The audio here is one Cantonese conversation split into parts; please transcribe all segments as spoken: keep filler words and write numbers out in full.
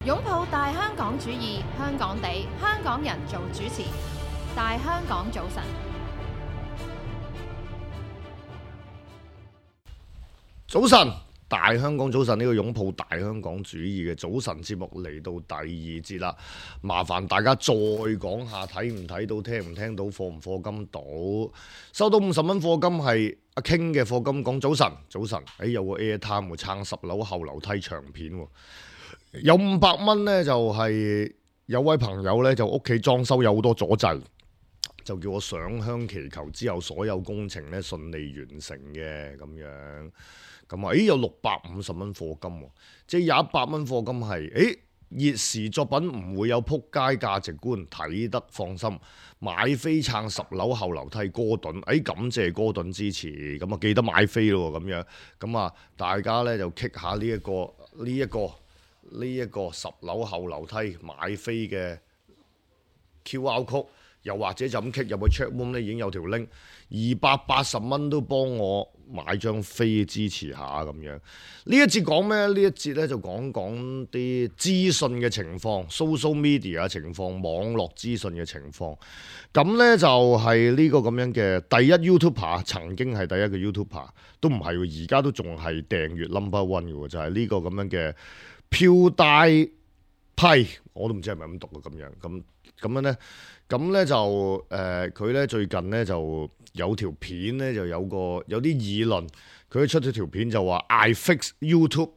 擁抱大香港主義，香港地，香港人做主持。大香港早晨，早晨，大香港早晨，呢個擁抱大香港主義嘅早晨節目嚟到第二節啦。麻煩大家再講下睇唔睇到、聽唔聽到、課唔課金到？收到五十蚊課金係阿 King 嘅課金，講早晨，早晨。誒有個 Airtime 撐十樓後樓梯長片喎。有五百蚊呢，就係有位朋友呢，就屋企裝修有好多阻滯，就叫我上香祈求之後所有工程呢順利完成嘅咁樣。咁啊，誒有六百五十蚊課金喎，即係有一百蚊課金係，誒熱時作品唔會有撲街價值觀，睇得放心。買飛撐十樓後樓梯哥頓，誒感謝哥頓支持，咁啊記得買飛咯咁樣。咁啊大家呢就 kick 下呢一個呢一個。呢一個十樓後樓梯買飛嘅 Q R code，又或者就咁 kick 入去 chat room 咧，已經有條 link， 二百八十蚊都幫我買張飛支持下咁樣。呢一節講咩？呢一節咧就講講啲資訊嘅情況 ，social media 嘅情況，網絡資訊嘅情況。咁咧就係呢個咁樣嘅第一 YouTuber， 曾經係第一個 YouTuber， 都唔係喎，而家都仲係訂閱 number one 嘅喎，就係、是、呢個咁樣嘅。PewDiePie，我都唔知係咪咁讀啊，咁樣咁咁樣咧，咁咧就誒佢咧最近咧就有條片咧就有個有啲議論，佢出咗條片就話 I fix YouTube，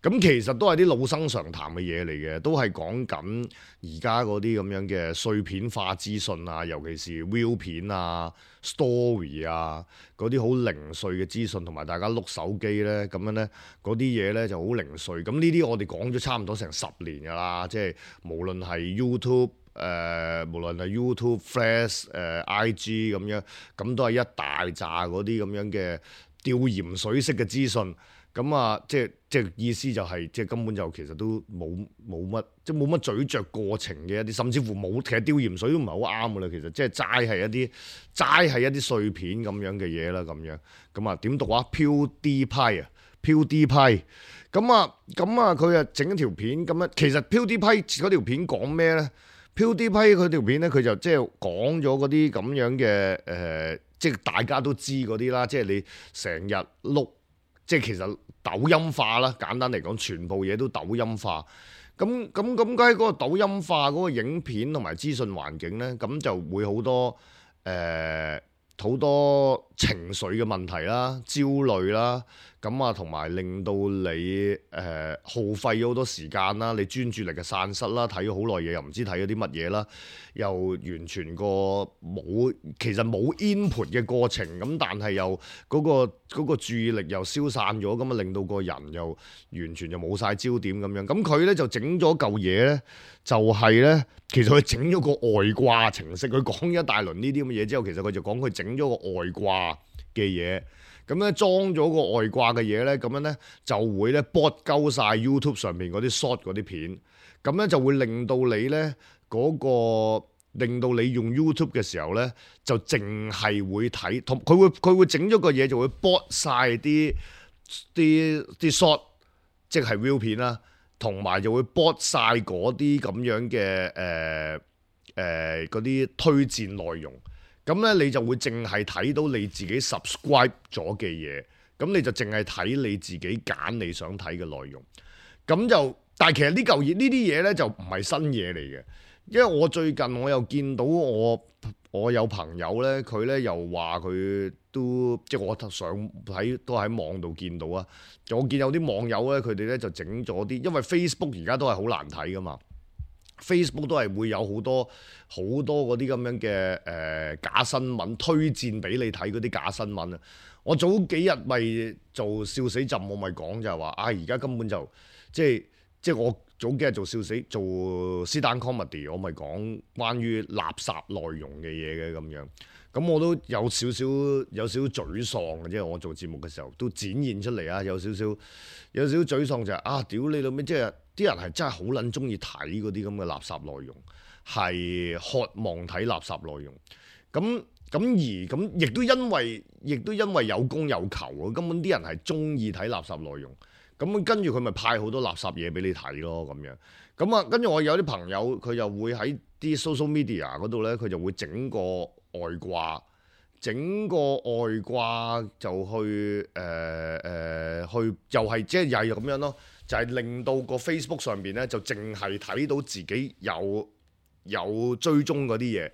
咁其實都係啲老生常談嘅嘢嚟嘅，都係講緊而家嗰啲咁樣嘅碎片化資訊啊，尤其是 View 片啊、Story 啊嗰啲好零碎嘅資訊，同埋大家碌手機咧咁樣咧嗰啲嘢咧就好零碎。咁呢啲我哋講咗差唔多成十年㗎啦，即係無論係 YouTube 誒、呃，無論係 YouTube、Flash、呃、誒 I G 咁樣，咁都係一大扎嗰啲咁樣嘅吊鹽水式嘅資訊。咁啊，即係即係意思就係、是，即係根本就其實都冇冇乜，即係冇乜咀嚼過程嘅一啲，甚至乎冇，其實吊鹽水都唔係好啱㗎啦。其實即係齋係一啲齋係一啲碎片咁樣嘅嘢啦，咁樣咁啊點讀啊？PewDiePie啊，PewDiePie。咁啊咁啊，佢啊整一條片咁樣。其實 PewDiePie 嗰條片講咩咧？PewDiePie 佢條片咧，佢就即係講咗嗰啲咁樣嘅誒、呃，即係大家都知嗰啲啦。即係你成日碌。即係其實抖音化啦，簡單嚟講，全部嘢都抖音化。咁咁咁，喺嗰個抖音化嗰個影片同埋資訊環境咧，咁就會好多誒好、呃、多情緒嘅問題啦、焦慮啦，咁啊同埋令到你誒、呃、耗費咗好多時間啦，你專注力嘅散失啦，睇咗好耐嘢又唔知睇咗啲乜嘢啦，又完全個冇其實冇 input 嘅過程，咁但係又嗰、嗰個嗰個注意力又消散咗，咁啊令到個人又完全就冇晒焦點咁樣。咁佢咧就整咗嚿嘢咧，就係、係、咧，其實佢整咗個外掛程式，佢講一大輪呢啲咁嘅嘢之後，其實佢就講佢整咗個外掛嘅嘢。咁咧裝咗個外掛嘅嘢咧，咁樣咧就會咧 bot 鳩晒 YouTube 上面嗰啲 short 嗰啲片，咁咧就會令到你咧嗰、嗰個令到你用 YouTube 嘅時候咧，就淨係會睇同佢會佢會整咗個嘢就會 bot 晒啲啲啲 short，即係 view 片啦，同埋就會 bot 晒嗰啲咁樣嘅誒誒嗰啲推薦內容。咁咧你就會淨係睇到你自己 subscribe 咗嘅嘢，咁你就淨係睇你自己揀你想睇嘅內容。咁就，但係其實呢嚿嘢呢啲嘢咧就唔係新嘢嚟嘅，因為我最近我又見到我我有朋友咧，佢咧又話佢都即係我上喺都喺網度見到啊。我見有啲網友咧，佢哋咧就整咗啲，因為 Facebook 而家都係好難睇噶嘛。Facebook 都係會有好多好多嗰啲咁樣嘅誒、呃、假新聞推薦俾你睇嗰啲假新聞啊！我早幾日咪做笑死朕，我咪講就係話啊，而家根本就即係即係我早幾日做笑死做 stand comedy， 我咪講關於垃圾內容嘅嘢嘅咁樣。咁我都有少少有少少沮喪嘅，即係我做節目嘅時候都展現出嚟啊！有少少有少少沮喪就係、是、啊，屌你老味，即係啲人係真係好撚中意睇嗰啲咁嘅垃圾內容，係渴望睇垃圾內容。咁咁而咁亦都因為亦都因為有供有求啊，根本啲人係中意睇垃圾內容。咁跟住佢咪派好多垃圾嘢俾你睇咯咁樣。咁啊，跟住我有啲朋友佢又會喺啲 social media 嗰度咧，佢就會整個外掛，整個外掛就去誒誒、呃呃、去又係即係又係咁樣咯，就係、是、令到個 Facebook 上邊咧就淨係睇到自己有有追蹤嗰啲嘢，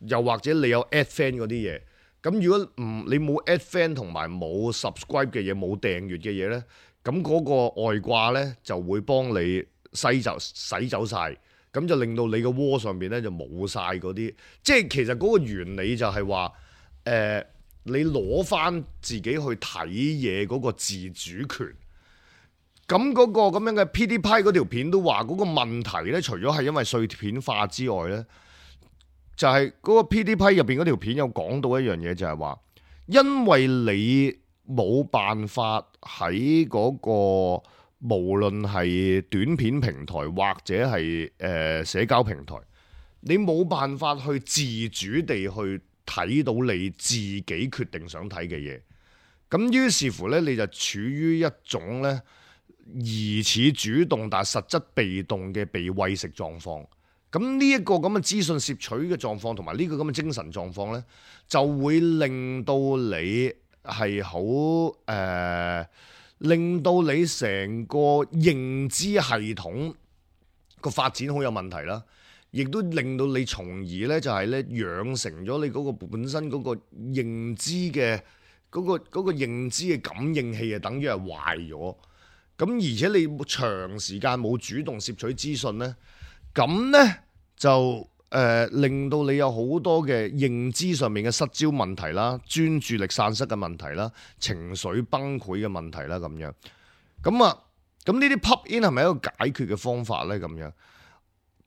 又或者你有 add friend 嗰啲嘢。咁如果唔你冇 add friend 同埋冇 subscribe 嘅嘢，冇訂閱嘅嘢咧，咁嗰個外掛咧就會幫你洗走洗走晒，咁就令到你個窩上邊咧就冇晒嗰啲，即係其實嗰個原理就係話，誒、呃、你攞翻自己去睇嘢嗰個自主權。咁嗰個咁樣嘅 PewDiePie 嗰條片都話嗰個問題咧，除咗係因為碎片化之外咧，就係、是、嗰個 PewDiePie 入邊嗰條片有講到一樣嘢，就係話，因為你冇辦法喺嗰、那個。無論係短片平台或者係誒、呃、社交平台，你冇辦法去自主地去睇到你自己決定想睇嘅嘢。咁於是乎咧，你就處於一種咧疑似主動但實質被動嘅被餵食狀況。咁呢一個咁嘅資訊攝取嘅狀況同埋呢個咁嘅精神狀況咧，就會令到你係好誒。呃令到你成個認知系統個發展好有問題啦，亦都令到你從而咧就係咧養成咗你嗰個本身嗰個認知嘅嗰個嗰個認知嘅感應器啊，等於係壞咗。咁而且你長時間冇主動攝取資訊咧，咁咧就誒、呃、令到你有好多嘅認知上面嘅失焦問題啦，專注力散失嘅問題啦，情緒崩潰嘅問題啦咁樣。咁啊，咁呢啲 pop in 係咪一個解決嘅方法咧？咁樣，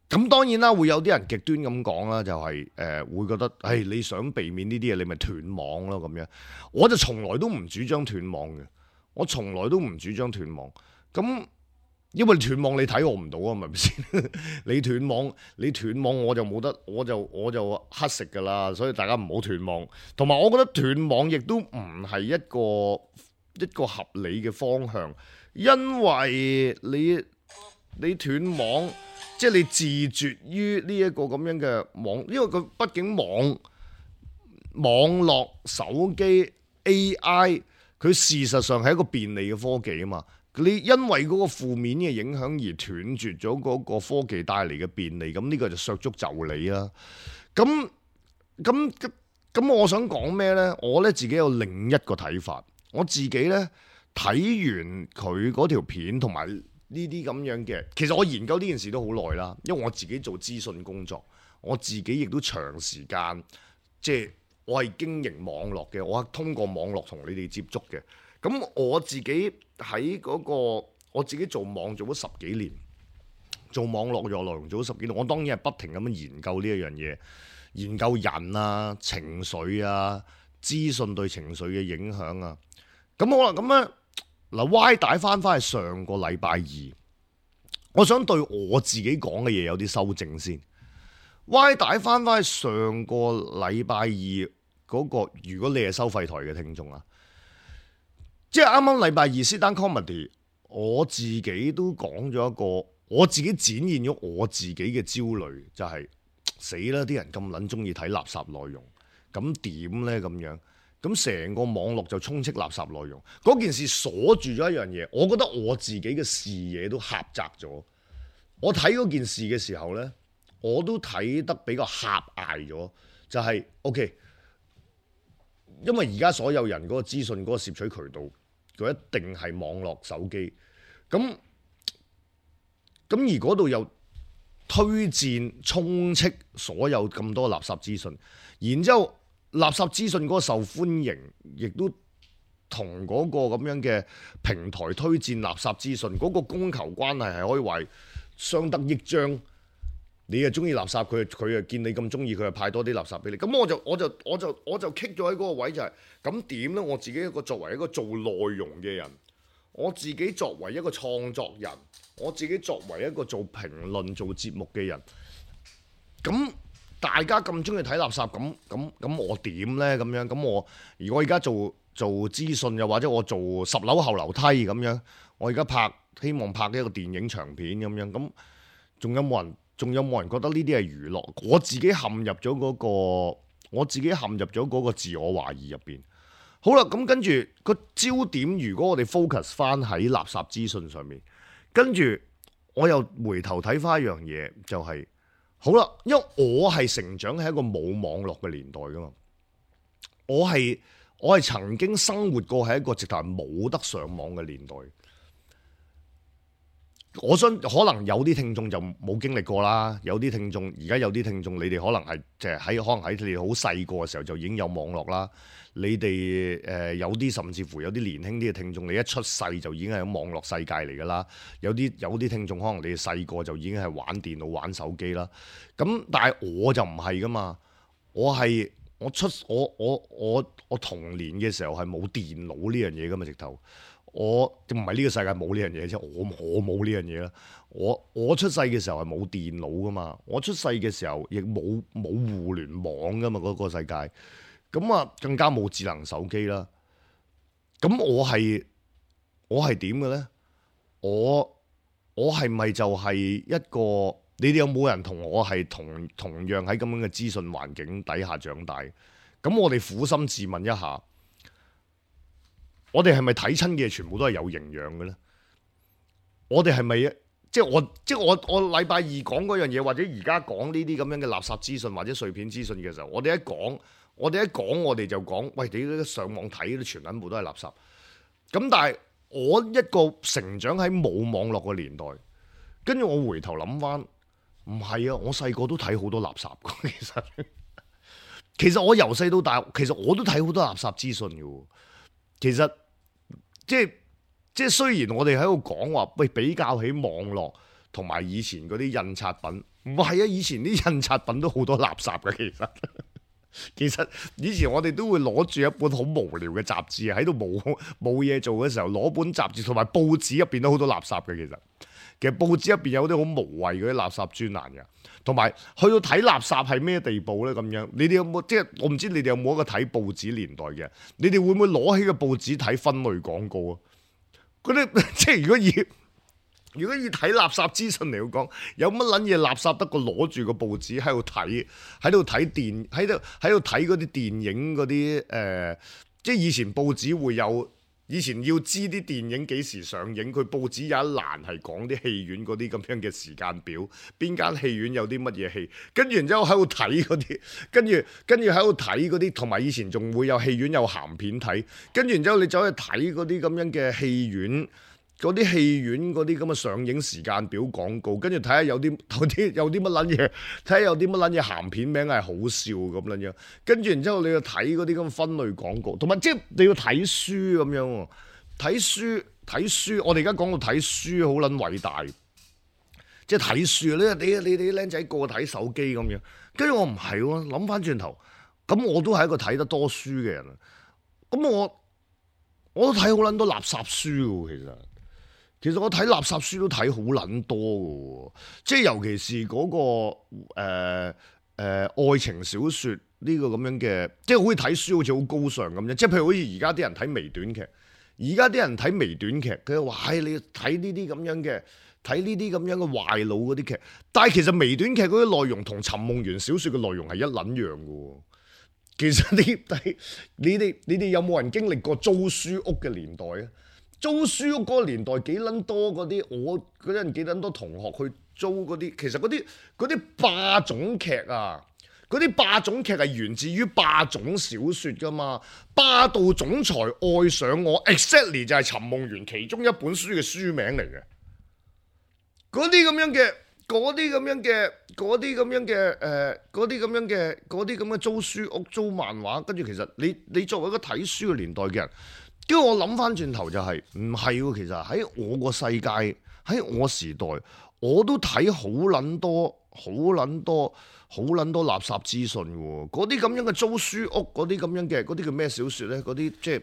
咁當然啦，會有啲人極端咁講啦，就係、是、誒、呃、會覺得，誒、哎、你想避免呢啲嘢，你咪斷網咯咁樣。我就從來都唔主張斷網嘅，我從來都唔主張斷網。咁因為斷網你睇我唔到啊，係咪先？你斷網，你斷網我就冇得，我就我就乞食噶啦。所以大家唔好斷網。同埋我覺得斷網亦都唔係一個一個合理嘅方向，因為你你斷網，即係你自絕於呢一個咁樣嘅網，因為佢畢竟網網絡手機 A I， 佢事實上係一個便利嘅科技啊嘛。你因為嗰個負面嘅影響而斷絕咗嗰個科技帶嚟嘅便利，咁呢個就削足就理啦。咁咁咁，我想講咩呢？我咧自己有另一個睇法。我自己呢，睇完佢嗰條片同埋呢啲咁樣嘅，其實我研究呢件事都好耐啦。因為我自己做資訊工作，我自己亦都長時間即係我係經營網絡嘅，我係通過網絡同你哋接觸嘅。咁我自己喺嗰個，我自己做網做咗十幾年，做網絡嘅內容做咗十幾年，我當然係不停咁樣研究呢一樣嘢，研究人啊、情緒啊、資訊對情緒嘅影響啊。咁好啦，咁咧嗱，Y 帶翻翻去上個禮拜二，我想對我自己講嘅嘢有啲修正先。Y 帶翻翻去上個禮拜二嗰個，如果你係收費台嘅聽眾啊。即係啱啱禮拜二 Sit Down Comedy，我自己都講咗一個，我自己展現咗我自己嘅焦慮，就係死啦！啲人咁撚中意睇垃圾內容，咁點呢？咁樣？咁成個網絡就充斥垃圾內容，嗰件事鎖住咗一樣嘢，我覺得我自己嘅視野都狹窄咗。我睇嗰件事嘅時候呢，我都睇得比較狹隘咗，就係、是、OK， 因為而家所有人嗰個資訊嗰個攝取渠道。佢一定係網絡手機，咁咁而嗰度又推薦充斥所有咁多垃圾資訊，然之後垃圾資訊嗰個受歡迎，亦都同嗰個咁樣嘅平台推薦垃圾資訊嗰個供求關係係可以話相得益彰。你又中意垃圾，佢佢又見你咁中意，佢又派多啲垃圾俾你。咁我就我就我就我就棘咗喺嗰個位，就係咁點呢？我自己一個作為一個做內容嘅人，我自己作為一個創作人，我自己作為一個做評論做節目嘅人，咁大家咁中意睇垃圾，咁咁咁我點呢？咁樣咁我如果而家做做資訊，又或者我做十樓後樓梯咁樣，我而家拍希望拍一個電影長片咁樣，咁仲有冇人？仲有冇人覺得呢啲係娛樂？我自己陷入咗嗰個，我自己陷入咗嗰個自我懷疑入邊。好啦，咁跟住個焦點，如果我哋 focus 翻喺垃圾資訊上面，跟住我又回頭睇翻一樣嘢，就係好啦，因為我係成長喺一個冇網絡嘅年代噶嘛，我係我係曾經生活過喺一個直頭係冇得上網嘅年代。我想可能有啲聽眾就冇經歷過啦，有啲聽眾而家有啲聽眾，你哋可能係即係喺可能喺你哋好細個嘅時候就已經有網絡啦。你哋誒、呃、有啲甚至乎有啲年輕啲嘅聽眾，你一出世就已經係喺網絡世界嚟㗎啦。有啲有啲聽眾可能你哋細個就已經係玩電腦玩手機啦。咁但係我就唔係㗎嘛，我係我出我我我我童年嘅時候係冇電腦呢樣嘢㗎嘛，直頭。我唔係呢個世界冇呢樣嘢啫，我我冇呢樣嘢啦。我我出世嘅時候係冇電腦噶嘛，我出世嘅時候亦冇冇互聯網噶嘛，嗰個世界。咁啊，更加冇智能手機啦。咁我係我係點嘅咧？我我係咪就係一個？你哋有冇人同我係同同樣喺咁樣嘅資訊環境底下長大？咁我哋苦心自問一下。我哋係咪睇親嘅全部都係有營養嘅咧？我哋係咪即係我即係我我禮拜二講嗰樣嘢，或者而家講呢啲咁樣嘅垃圾資訊或者碎片資訊嘅時候，我哋一講，我哋一講，我哋就講，喂，你上網睇啲全部都係垃圾。咁但係我一個成長喺冇網絡嘅年代，跟住我回頭諗翻，唔係啊，我細個都睇好多垃圾。其實其實我由細到大，其實我都睇好多垃圾資訊嘅。其實即係即係雖然我哋喺度講話，喂，比較起網絡同埋以前嗰啲印刷品，唔係啊，以前啲印刷品都好多垃圾嘅。其實其實以前我哋都會攞住一本好無聊嘅雜誌喺度冇冇嘢做嘅時候，攞本雜誌同埋報紙入邊都好多垃圾嘅。其實其實報紙入邊有啲好無謂嗰啲垃圾專欄嘅，同埋去到睇垃圾係咩地步咧？咁樣你哋有冇即係我唔知你哋有冇一個睇報紙年代嘅？你哋會唔會攞起個報紙睇分類廣告啊？嗰啲即係如果以如果以睇垃圾資訊嚟講，有乜撚嘢垃圾得過攞住個報紙喺度睇，喺度睇電喺度喺度睇嗰啲電影嗰啲誒，即係以前報紙會有。以前要知啲電影幾時上映，佢報紙有一欄係講啲戲院嗰啲咁樣嘅時間表，邊間戲院有啲乜嘢戲，跟住然之後喺度睇嗰啲，跟住跟住喺度睇嗰啲，同埋以前仲會有戲院有鹹片睇，跟住然之後你走去睇嗰啲咁樣嘅戲院。嗰啲戲院嗰啲咁嘅上映時間表廣告，跟住睇下有啲有啲有啲乜撚嘢，睇下有啲乜撚嘢鹹片名係好笑咁撚樣，跟住然之後你要睇嗰啲咁分類廣告，同埋即係你要睇書咁樣喎，睇書睇書，我哋而家講到睇書好撚偉大，即係睇書啊！你你你哋啲僆仔個個睇手機咁樣，跟住我唔係喎，諗翻轉頭，咁我都係一個睇得多書嘅人，咁我我都睇好撚多垃圾書喎，其實。其實我睇垃圾書都睇好撚多嘅，即係尤其是嗰、那個誒誒、呃呃、愛情小説呢個咁樣嘅，即係好似睇書好似好高尚咁樣。即係譬如好似而家啲人睇微短劇，而家啲人睇微短劇，佢話：唉，你睇呢啲咁樣嘅，睇呢啲咁樣嘅壞腦嗰啲劇。但係其實微短劇嗰啲內容同尋夢園小説嘅內容係一撚樣嘅。其實你睇你哋你哋有冇人經歷過租書屋嘅年代啊？租書屋嗰個年代幾撚多嗰啲，我嗰陣幾撚多同學去租嗰啲，其實嗰啲嗰啲霸總劇啊，嗰啲霸總劇係源自於霸總小説㗎嘛，霸道總裁愛上我 ，exactly 就係尋夢園其中一本書嘅書名嚟嘅。嗰啲咁樣嘅，嗰啲咁樣嘅，嗰啲咁樣嘅，誒，嗰啲咁樣嘅，嗰啲咁嘅租書屋租漫畫，跟住其實你你作為一個睇書嘅年代嘅人。跟住我諗翻轉頭就係唔係喎，其實喺我個世界，喺我時代，我都睇好撚多、好撚多、好撚多垃圾資訊喎。嗰啲咁樣嘅租書屋，嗰啲咁樣嘅，嗰啲叫咩小説咧？嗰啲即係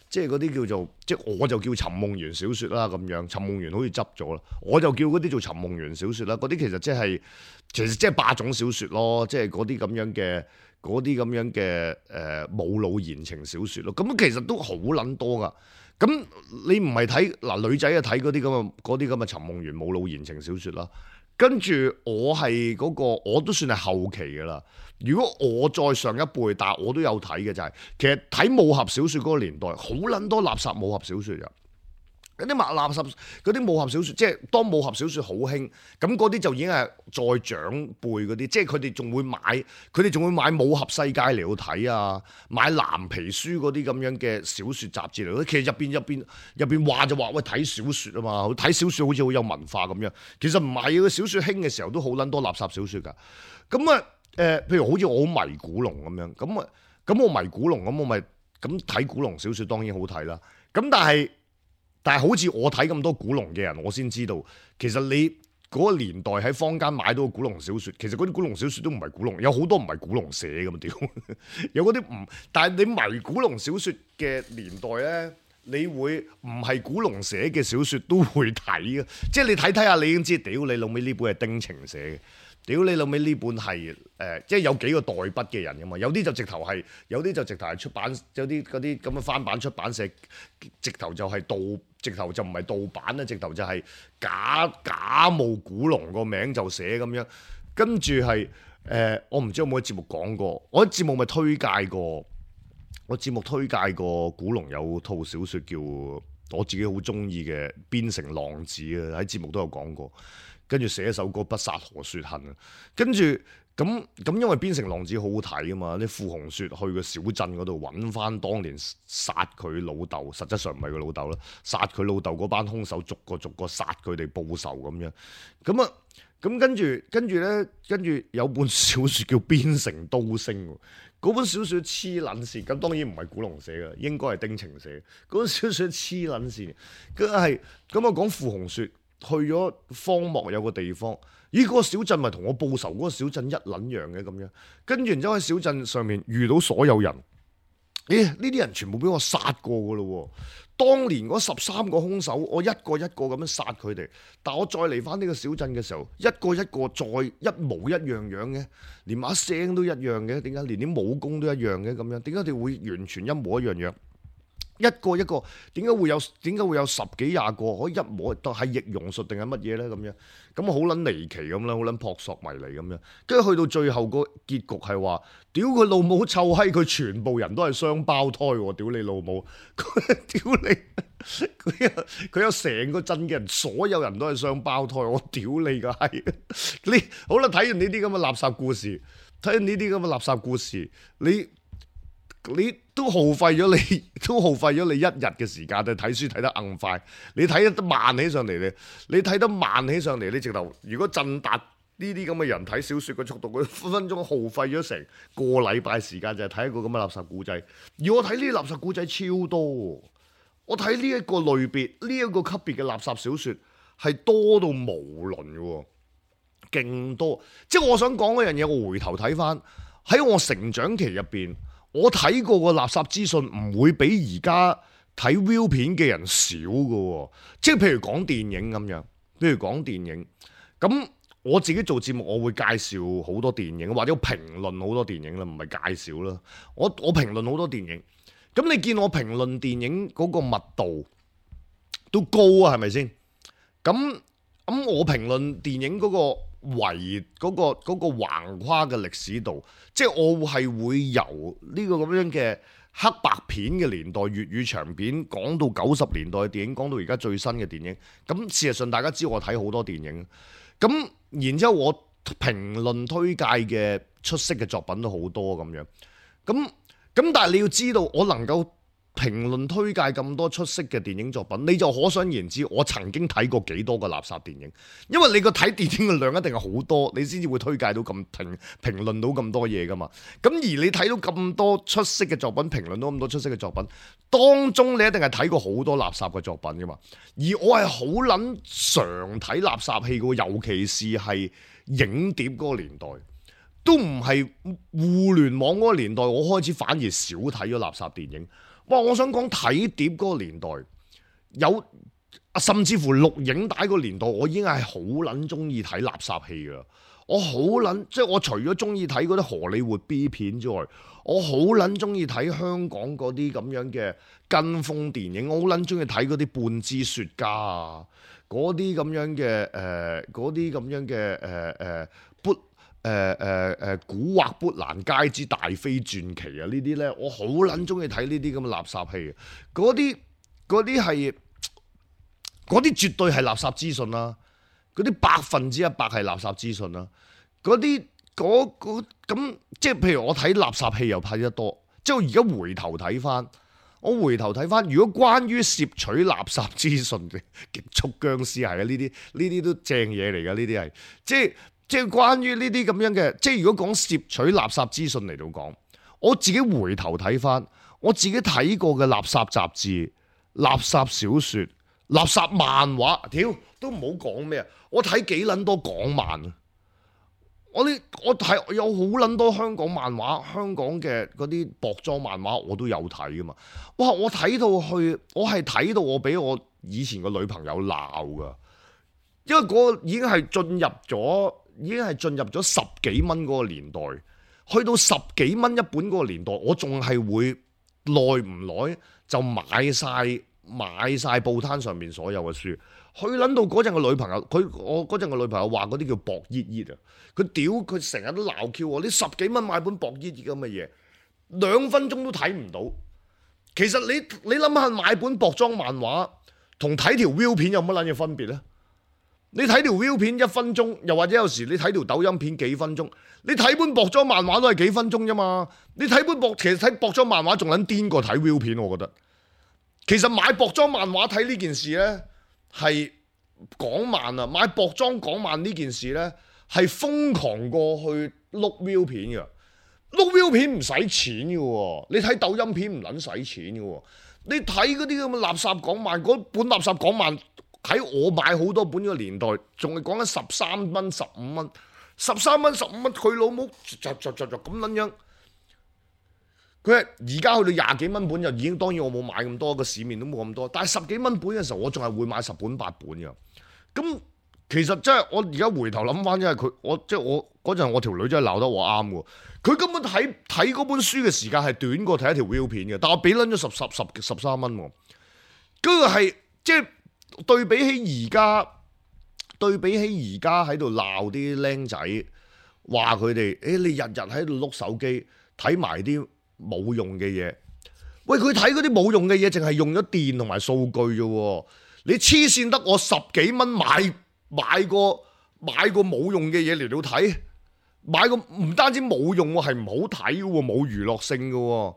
即係嗰啲叫做，即係我就叫尋夢園小説啦咁樣。尋夢園好似執咗啦，我就叫嗰啲做尋夢園小説啦。嗰啲其實即係其實即係霸總小説咯，即係嗰啲咁樣嘅。嗰啲咁樣嘅誒冇腦言情小説咯，咁其實都好撚多噶。咁你唔係睇嗱女仔啊睇嗰啲咁嘅嗰啲咁嘅尋夢園冇腦言情小説啦。跟住我係嗰、嗰個我都算係後期㗎啦。如果我再上一輩，但係我都有睇嘅就係、係、其實睇武俠小説嗰個年代，好撚多垃圾武俠小説㗎。嗰啲垃垃圾嗰啲武俠小説，即係當武俠小説好興，咁嗰啲就已經係再長輩嗰啲，即係佢哋仲會買，佢哋仲會買武俠世界嚟到睇啊，買藍皮書嗰啲咁樣嘅小説雜誌嚟。其實入邊入邊入邊話就話喂睇小説啊嘛，睇小説好似好有文化咁樣。其實唔係嘅，小説興嘅時候都好撚多垃圾小説㗎。咁啊誒，譬如好似我好迷古龍咁樣，咁啊咁我迷古龍咁我咪咁睇古龍小説當然好睇啦。咁但係。但係好似我睇咁多古龍嘅人，我先知道其實你嗰個年代喺坊間買到古龍小説，其實嗰啲古龍小説都唔係古龍，有好多唔係古龍寫㗎嘛屌，有嗰啲唔，但係你迷古龍小説嘅年代咧，你會唔係古龍寫嘅小説都會睇嘅，即係你睇睇下你已經知，屌你老尾呢本係丁晴寫嘅。屌你老尾呢本係誒、呃，即係有幾個代筆嘅人噶嘛？有啲就直頭係，有啲就直頭係出版，有啲嗰啲咁嘅翻版出版社，直頭就係盜，直頭就唔係盜版啦，直頭就係假假冒古龍個名就寫咁樣，跟住係誒，我唔知有冇喺節目講過，我喺節目咪推介過，我節目推介過古龍有套小説叫我自己好中意嘅《邊城浪子》啊，喺節目都有講過。跟住寫一首歌《不殺何雪恨》啊，跟住咁咁，因為《邊城浪子》好好睇啊嘛，啲傅紅雪去個小鎮嗰度揾翻當年殺佢老豆，實質上唔係佢老豆啦，殺佢老豆嗰班兇手逐個逐個殺佢哋報仇咁樣，咁啊咁跟住跟住咧，跟住有本小説叫《邊城刀聲》，嗰本小説黐撚線，咁當然唔係古龍寫嘅，應該係丁晴寫。嗰本小説黐撚線，佢係咁啊講傅紅雪。去咗荒漠有個地方，咦嗰、嗰個小鎮咪同我報仇嗰個小鎮一撚樣嘅咁樣，跟住然之後喺小鎮上面遇到所有人，咦呢啲人全部俾我殺過噶咯喎，當年嗰十三個兇手，我一個一個咁樣殺佢哋，但我再嚟翻呢個小鎮嘅時候，一個一個再一模一樣樣嘅，連把聲都一樣嘅，點解連啲武功都一樣嘅咁樣？點解佢哋會完全一模一樣樣？一個一個點解會有點解會有十幾廿個可以一模都係易容術定係乜嘢咧咁樣？咁好撚離奇咁啦，好撚撲朔迷離咁樣。跟住去到最後個結局係話，屌佢老母臭閪，佢全部人都係雙胞胎喎！屌你老母，屌你，佢有佢有成個鎮嘅人，所有人都係雙胞胎，我屌你個閪！你好啦，睇完呢啲咁嘅垃圾故事，睇完呢啲咁嘅垃圾故事，你。你都耗費咗你，都耗費咗你一日嘅時間，就睇書睇得硬快。你睇得慢起上嚟咧，你睇得慢起上嚟，你直頭如果振達呢啲咁嘅人睇小説嘅速度，佢分分鐘耗費咗成個禮拜時間，就係睇一個咁嘅垃圾故仔。而我睇呢啲垃圾故仔超多，我睇呢一個類別，呢、這、一個級別嘅垃圾小説係多到無倫嘅，勁多。即係我想講嗰樣嘢，我回頭睇翻喺我成長期入邊。我睇過個垃圾資訊唔會比而家睇 view 片嘅人少㗎，即係譬如講電影咁樣，譬如講電影，咁我自己做節目，我會介紹好多電影，或者評論好多電影啦，唔係介紹啦。我我評論好多電影，咁你見我評論電影嗰個密度都高啊，係咪先？咁咁我評論電影嗰個。圍嗰、嗰個嗰、嗰個橫跨嘅歷史度，即係我係會由呢個咁樣嘅黑白片嘅年代粵語長片講到九十年代嘅電影，講到而家最新嘅電影。咁事實上大家知我睇好多電影，咁然之後我評論推介嘅出色嘅作品都好多咁樣。咁咁但係你要知道，我能夠評論推介咁多出色嘅電影作品，你就可想而知我曾經睇過幾多個垃圾電影。因為你個睇電影嘅量一定係好多，你先至會推介到咁評評論到咁多嘢噶嘛。咁而你睇到咁多出色嘅作品，評論到咁多出色嘅作品，當中你一定係睇過好多垃圾嘅作品噶嘛。而我係好撚常睇垃圾戲嘅，尤其是係影碟嗰個年代，都唔係互聯網嗰個年代，我開始反而少睇咗垃圾電影。哇！我想講睇碟嗰個年代，有甚至乎錄影帶個年代，我已經係好撚中意睇垃圾戲㗎。我好撚即係我除咗中意睇嗰啲荷里活 B 片之外，我好撚中意睇香港嗰啲咁樣嘅跟風電影。我好撚中意睇嗰啲半支雪茄啊，嗰啲咁樣嘅誒，嗰啲咁樣嘅誒誒砵誒誒誒古惑砵蘭街之大飛傳奇啊！呢啲咧，我好撚中意睇呢啲咁嘅垃圾戲。嗰啲嗰啲係嗰啲絕對係垃圾資訊啦。嗰啲百分之一百係垃圾資訊啦，嗰啲嗰嗰咁即係譬如我睇垃圾戲又睇得多，即係我而家回頭睇翻，我回頭睇翻，如果關於攝取垃圾資訊嘅極速僵屍係啊，呢啲呢啲都正嘢嚟㗎，呢啲係即係即係關於呢啲咁樣嘅，即係如果講攝取垃圾資訊嚟到講，我自己回頭睇翻，我自己睇過嘅垃圾雜誌、垃圾小説、垃圾漫畫，屌都唔好講咩啊！我睇幾撚多港漫啊！我啲我睇有好撚多香港漫畫，香港嘅嗰啲薄裝漫畫我都有睇噶嘛！哇！我睇到去，我係睇到我俾我以前個女朋友鬧噶，因為嗰個已經係進入咗，已經係進入咗十幾蚊嗰個年代，去到十幾蚊一本嗰個年代，我仲係會耐唔耐就買晒買晒報攤上面所有嘅書。佢撚到嗰陣個女朋友，佢我嗰陣個女朋友話嗰啲叫薄熱熱啊！佢屌佢成日都鬧 Q 我，你十幾蚊買本薄熱熱咁嘅嘢，兩分鐘都睇唔到。其實你你諗下買本薄裝漫畫同睇條 view 片有乜撚嘢分別咧？你睇條 view 片一分鐘，又或者有時你睇條抖音片幾分鐘，你睇本薄裝漫畫都係幾分鐘啫嘛。你睇本薄，其實睇薄裝漫畫仲撚癲過睇 view 片，我覺得。其實買薄裝漫畫睇呢件事咧，係港漫啊！買薄裝港漫呢件事呢，係瘋狂過去碌 view 片嘅。碌 view 片唔使錢嘅喎，你睇抖音片唔撚使錢嘅喎。你睇嗰啲咁嘅垃圾港漫，嗰本垃圾港漫喺我買好多本嘅年代，仲係講緊十三蚊、十五蚊、十三蚊、十五蚊，佢老母就就就就咁撚樣。佢係而家去到廿幾蚊本就已經，當然我冇買咁多，個市面都冇咁多。但係十幾蚊本嘅時候，我仲係會買十本八本嘅。咁其實真係我而家回頭諗翻，因為佢我即係我嗰陣我條女真係鬧得我啱喎。佢根本睇睇嗰本書嘅時間係短過睇一條 view 片嘅，但我俾撚咗十十十十三蚊喎。嗰個係即係對比起而家，對比起而家喺度鬧啲僆仔，話佢哋誒你日日喺度碌手機睇埋啲冇用嘅嘢，喂佢睇嗰啲冇用嘅嘢，淨係用咗電同埋數據啫。你黐線得我十幾蚊買買個買個冇用嘅嘢嚟到睇，買個唔單止冇用喎，係唔好睇嘅喎，冇娛樂性嘅喎。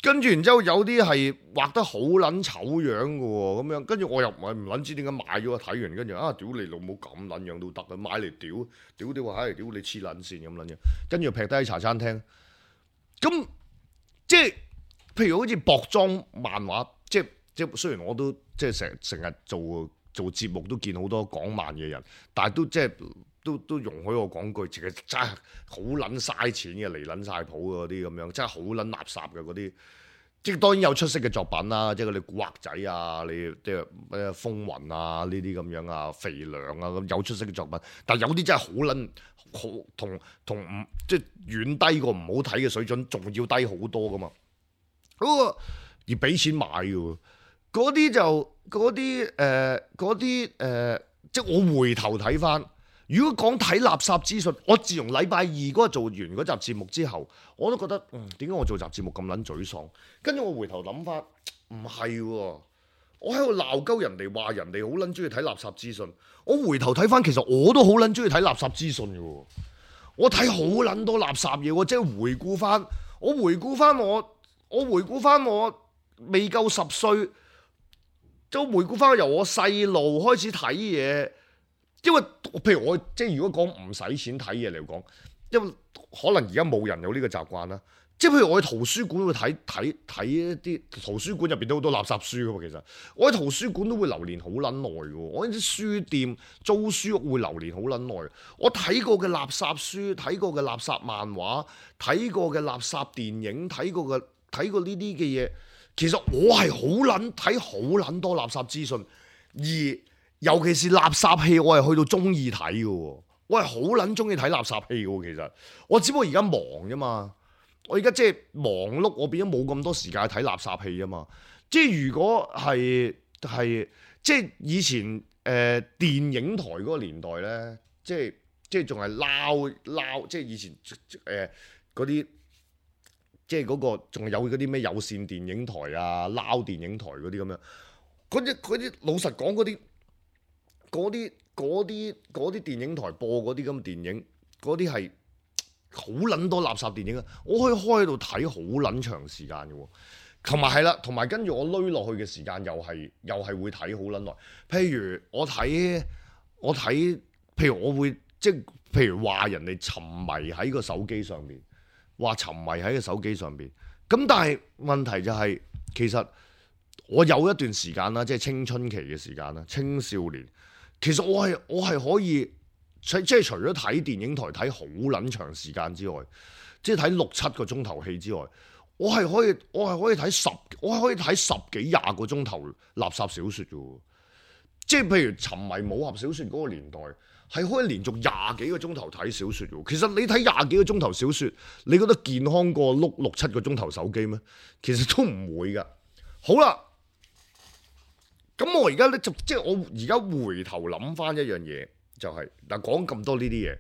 跟住然之後有啲係畫得好撚醜樣嘅喎，咁樣跟住我又唔係唔撚知點解買咗，睇完跟住啊屌你老母咁撚樣都得啊，買嚟屌屌屌話唉屌你黐撚線咁撚樣，跟住劈低喺茶餐廳咁。即係譬如好似薄裝漫畫，即係即係雖然我都即係成成日做做節目都見好多港漫嘅人，但係都即係都都容許我講句，其實真係好撚嘥錢嘅，離撚晒譜嗰啲咁樣，真係好撚垃圾嘅嗰啲。即係當然有出色嘅作品啦，即係嗰啲古惑仔啊，你即係咩風雲啊呢啲咁樣啊，肥娘啊咁有出色嘅作品，但係有啲真係好撚好同同唔即係遠低過唔好睇嘅水準，仲要低好多噶嘛。嗰個而俾錢買嘅，嗰啲就嗰啲誒嗰啲誒，即係我回頭睇翻。如果講睇垃圾資訊，我自從禮拜二嗰日做完嗰集節目之後，我都覺得嗯點解我做集節目咁撚沮喪？跟住我回頭諗翻，唔係喎，我喺度鬧鳩人哋話人哋好撚中意睇垃圾資訊。我回頭睇翻，其實我都好撚中意睇垃圾資訊嘅喎。我睇好撚多垃圾嘢喎，即係回顧翻，我回顧翻我，我回顧翻我未夠十歲，就回顧翻由我細路開始睇嘢。因為譬如我即係如果講唔使錢睇嘢嚟講，因為可能而家冇人有呢個習慣啦。即係譬如我喺圖書館會睇睇睇一啲圖書館入邊都好多垃圾書噶嘛。其實我喺圖書館都會留連好撚耐嘅。我喺啲書店租書屋會留連好撚耐。我睇過嘅垃圾書、睇過嘅垃圾漫畫、睇過嘅垃圾電影、睇過嘅睇過呢啲嘅嘢，其實我係好撚睇好撚多垃圾資訊。而尤其是垃圾戲，我係去到中意睇嘅喎，我係好撚中意睇垃圾戲嘅喎。其實我只不過而家忙啫嘛，我而家即係忙碌，我變咗冇咁多時間睇垃圾戲啊嘛。即係如果係係即係以前誒、呃、電影台嗰個年代咧，即係即係仲係撈撈，即係以前誒嗰啲。即係嗰個仲有嗰啲咩有線電影台啊、撈電影台嗰啲咁樣，嗰啲嗰啲老實講嗰啲嗰啲嗰啲嗰啲電影台播嗰啲咁嘅電影，嗰啲係好撚多垃圾電影啊！我可以開喺度睇好撚長時間嘅喎，同埋係啦，同埋跟住我攏落去嘅時間又係又係會睇好撚耐。譬如我睇我睇，譬如我會即係譬如話人哋沉迷喺個手機上面。話沉迷喺個手機上邊，咁但係問題就係、是，其實我有一段時間啦，即係青春期嘅時間啦，青少年，其實我係我係可以，即係除咗睇電影台睇好撚長時間之外，即係睇六七個鐘頭戲之外，我係可以我係可以睇十，我係可以睇十幾廿個鐘頭垃圾小説嘅，即係譬如沉迷武俠小説嗰個年代。係可以連續廿幾個鐘頭睇小説喎。其實你睇廿幾個鐘頭小説，你覺得健康過碌六七個鐘頭手機咩？其實都唔會㗎。好啦，咁我而家咧就即係我而家回頭諗翻一樣嘢，就係嗱講咁多呢啲嘢，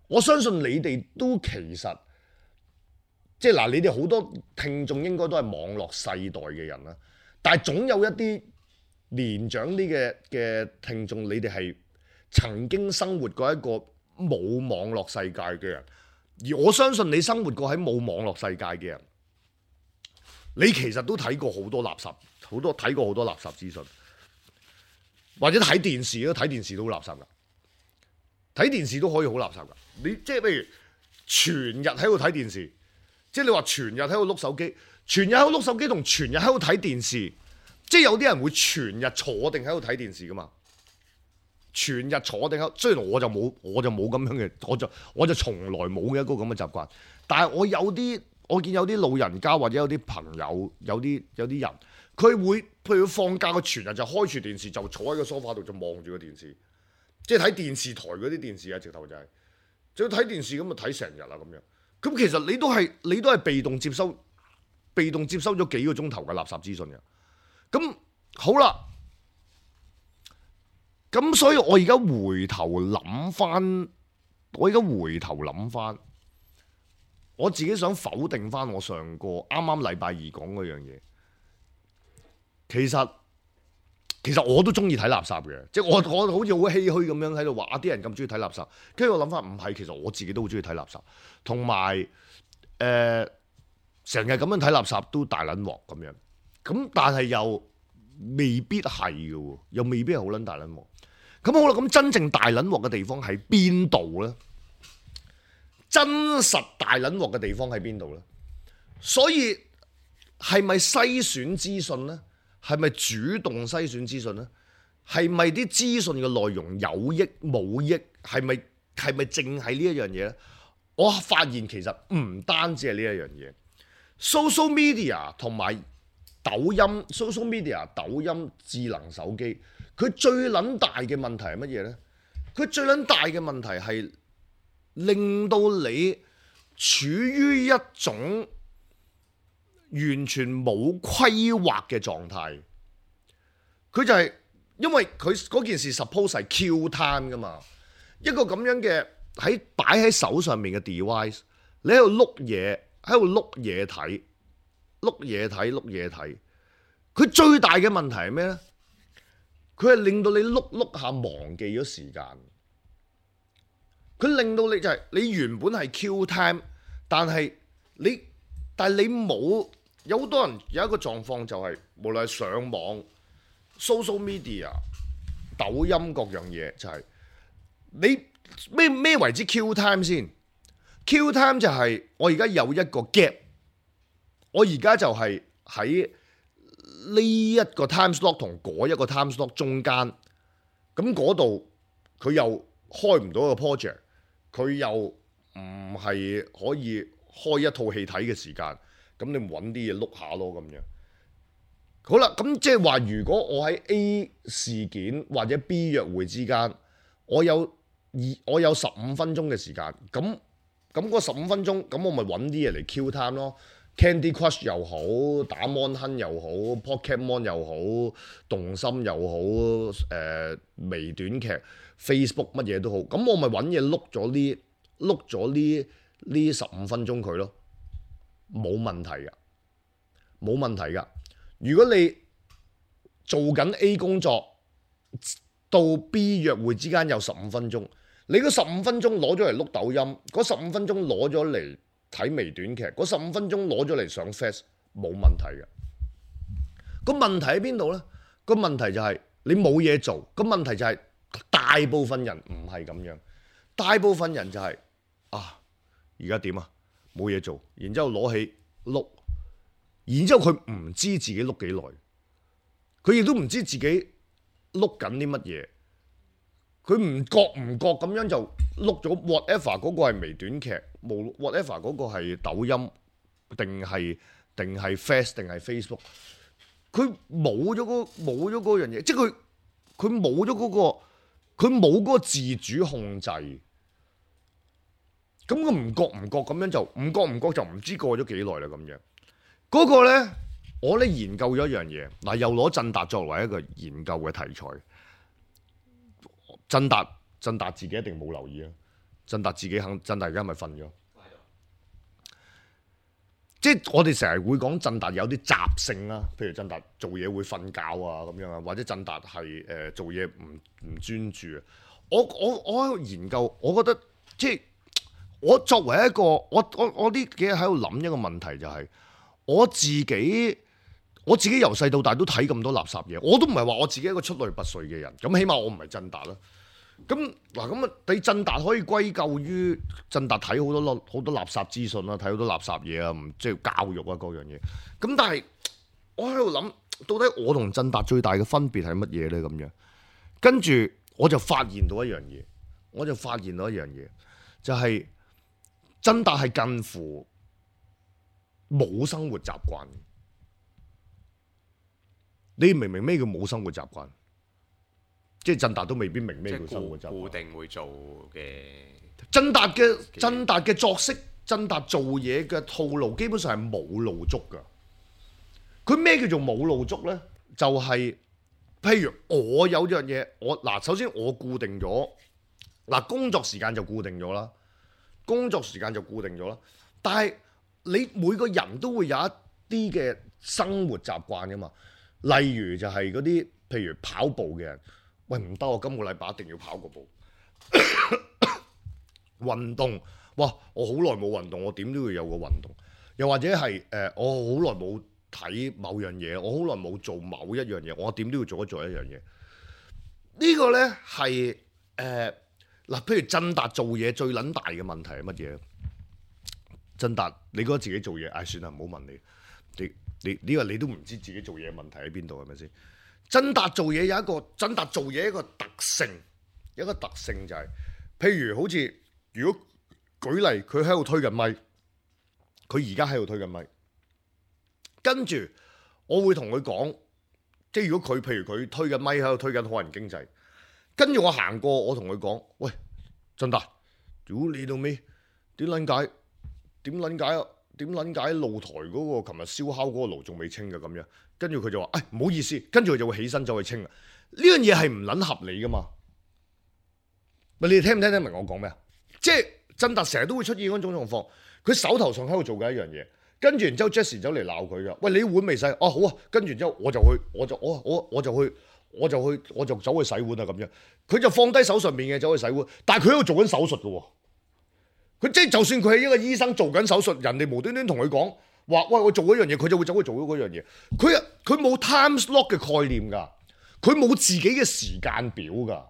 我相信你哋都其實即係嗱，你哋好多聽眾應該都係網絡世代嘅人啦，但係總有一啲年長啲嘅嘅聽眾，你哋係曾經生活過一個冇網絡世界嘅人，而我相信你生活過喺冇網絡世界嘅人，你其實都睇過好多垃圾，好多睇過好多垃圾資訊，或者睇電視咯，睇電視都好垃圾噶，睇電視都可以好垃圾噶。你即係譬如全日喺度睇電視，即係你話全日喺度碌手機，全日喺度碌手機同全日喺度睇電視，即係有啲人會全日坐定喺度睇電視噶嘛。全日坐定喺，雖然我就冇，我就冇咁樣嘅，我就我就從來冇嘅一個咁嘅習慣。但係我有啲，我見有啲老人家或者有啲朋友，有啲有啲人，佢會譬如放假，佢全日就開住電視，就坐喺個梳化度就望住個電視，即係睇電視台嗰啲電視啊，直頭就係、是，就睇電視咁就睇成日啦咁樣。咁其實你都係你都係被動接收，被動接收咗幾個鐘頭嘅垃圾資訊嘅。咁好啦。咁所以我而家回頭諗翻，我而家回頭諗翻，我自己想否定翻我上個啱啱禮拜二講嗰樣嘢。其實其實我都中意睇垃圾嘅，即係我我好似好唏噓咁樣喺度話啊啲人咁中意睇垃圾，跟住我諗翻唔係，其實我自己都好中意睇垃圾，同埋誒成日咁樣睇垃圾都大撚鑊咁樣，咁但係又未必係嘅喎，又未必係好撚大撚鑊。咁好啦，咁真正大撚鑊嘅地方喺邊度咧？真實大撚鑊嘅地方喺邊度咧？所以係咪篩選資訊咧？係咪主動篩選資訊咧？係咪啲資訊嘅內容有益冇益？係咪係咪淨係呢一樣嘢咧？我發現其實唔單止係呢一樣嘢 ，social media 同埋抖音 ，social media、抖音、智能手機。佢最撚大嘅問題係乜嘢呢？佢最撚大嘅問題係令到你處於一種完全冇規劃嘅狀態。佢就係、是、因為佢嗰件事 suppose 係 kill time 噶嘛，一個咁樣嘅喺擺喺手上面嘅 device， 你喺度碌嘢，喺度碌嘢睇，碌嘢睇，碌嘢睇。佢最大嘅問題係咩呢？佢係令到你碌碌下忘記咗時間，佢令到你就係、是、你原本係 kill time，但係你但係你冇，有好多人有一個狀況就係、是、無論係上網、social media、抖音各樣嘢，就係、是、你咩咩為之 kill time 先 ？kill time 就係我而家有一個 gap，我而家就係喺呢一個 time slot 同嗰一個 time slot 中間，咁嗰度佢又開唔到個 project，佢又唔係可以開一套戲睇嘅時間，咁你揾啲嘢碌下咯咁樣。好啦，咁即係話，如果我喺 A 事件或者 B 約會之間，我有二我有十五分鐘嘅時間，咁咁嗰十五分鐘，咁我咪揾啲嘢嚟 kill time 咯。Candy Crush 又好，打 Mon Hun 又好 ，Pokemon 又好，動心又好，誒、呃、微短劇 Facebook 乜嘢都好，咁我咪揾嘢碌咗呢碌咗呢呢十五分鐘佢咯，冇問題噶，冇問題噶。如果你做緊 A 工作到 B 約會之間有十五分鐘，你嗰十五分鐘攞咗嚟碌抖音，嗰十五分鐘攞咗嚟睇微短劇，嗰十五分鐘攞咗嚟上 Face， 冇問題嘅。個問題喺邊度呢？個問題就係你冇嘢做。個問題就係大部分人唔係咁樣，大部分人就係、是、啊，而家點啊？冇嘢做，然之後攞起碌，然之後佢唔知自己碌幾耐，佢亦都唔知自己碌緊啲乜嘢，佢唔覺唔覺咁樣就碌咗 whatever 嗰個係微短劇，冇 whatever 嗰個係抖音定係定係 Face 定係 Facebook， 佢冇咗嗰冇咗嗰樣嘢，即係佢佢冇咗嗰個佢冇嗰個自主控制，咁佢唔覺唔覺咁樣就唔覺唔覺就唔知過咗幾耐啦咁樣。嗰個咧，我咧研究咗一樣嘢，嗱又攞振達作為一個研究嘅題材。振達振達自己一定冇留意啊！振達自己肯振達而家咪瞓咗。即係我哋成日會講振達有啲習性啦，譬如振達做嘢會瞓覺啊咁樣啊，或者振達係誒做嘢唔唔專注啊。我我我喺度研究，我覺得即係我作為一個我我我呢幾日喺度諗一個問題就係、是、我自己我自己由細到大都睇咁多垃圾嘢，我都唔係話我自己一個出類拔萃嘅人，咁起碼我唔係振達啦。咁嗱咁啊，你振達可以歸咎於振達睇好多好多垃圾資訊啦，睇好多垃圾嘢啊，唔即係教育啊各樣嘢。咁但係我喺度諗，到底我同振達最大嘅分別係乜嘢咧？咁樣跟住我就發現到一樣嘢，我就發現到一樣嘢，就係振達係近乎冇生活習慣。你明唔明咩叫冇生活習慣？即係振達都未必明咩叫生活習慣。固定會做嘅。振達嘅振達嘅作息，振達做嘢嘅套路，基本上係冇路捉㗎。佢咩叫做冇路捉咧？就係、是、譬如我有樣嘢，我嗱首先我固定咗嗱工作時間就固定咗啦，工作時間就固定咗啦。但係你每個人都會有一啲嘅生活習慣㗎嘛。例如就係嗰啲譬如跑步嘅人。喂，唔得，我今個禮拜一定要跑個步。運動，哇！我好耐冇運動，我點都要有個運動。又或者係誒、呃，我好耐冇睇某樣嘢，我好耐冇做某一樣嘢，我點都要做一做一樣嘢。這個、呢個咧係誒嗱，譬如振達做嘢最撚大嘅問題係乜嘢？振達，你覺得自己做嘢，唉、哎，算啦，唔好問你。你你呢個你都唔知自己做嘢問題喺邊度係咪先？振達做嘢有一個振達做嘢一個特性，有一個特性就係、是，譬如好似如果舉例，佢喺度推緊咪，佢而家喺度推緊咪，跟住我會同佢講，即係如果佢譬如佢推緊咪喺度推緊好人經濟，跟住我行過，我同佢講，喂，振達，如果你到尾點撚解？點撚解啊？點撚解露台嗰個琴日燒烤嗰個爐仲未清嘅咁樣？跟住佢就話，誒唔好意思，跟住佢就會起身走去清啊！呢樣嘢係唔撚合理噶嘛？咪你哋聽唔聽得明我講咩啊？即係振達成日都會出現嗰種狀況，佢手頭上喺度做緊一樣嘢，跟住然之後 Jessie 走嚟鬧佢噶，喂，你碗未洗？哦、啊、好啊，跟住然之後我就去，我就我我我就去，我就去我就走去洗碗啊咁樣，佢就放低手上面嘅走去洗碗，但係佢喺度做緊手術噶喎，佢即係就算佢係一個醫生做緊手術，人哋無端端同佢講。話喂，我做嗰樣嘢，佢就會走去做嗰樣嘢。佢啊，佢冇 time slot 嘅概念㗎，佢冇自己嘅時間表㗎，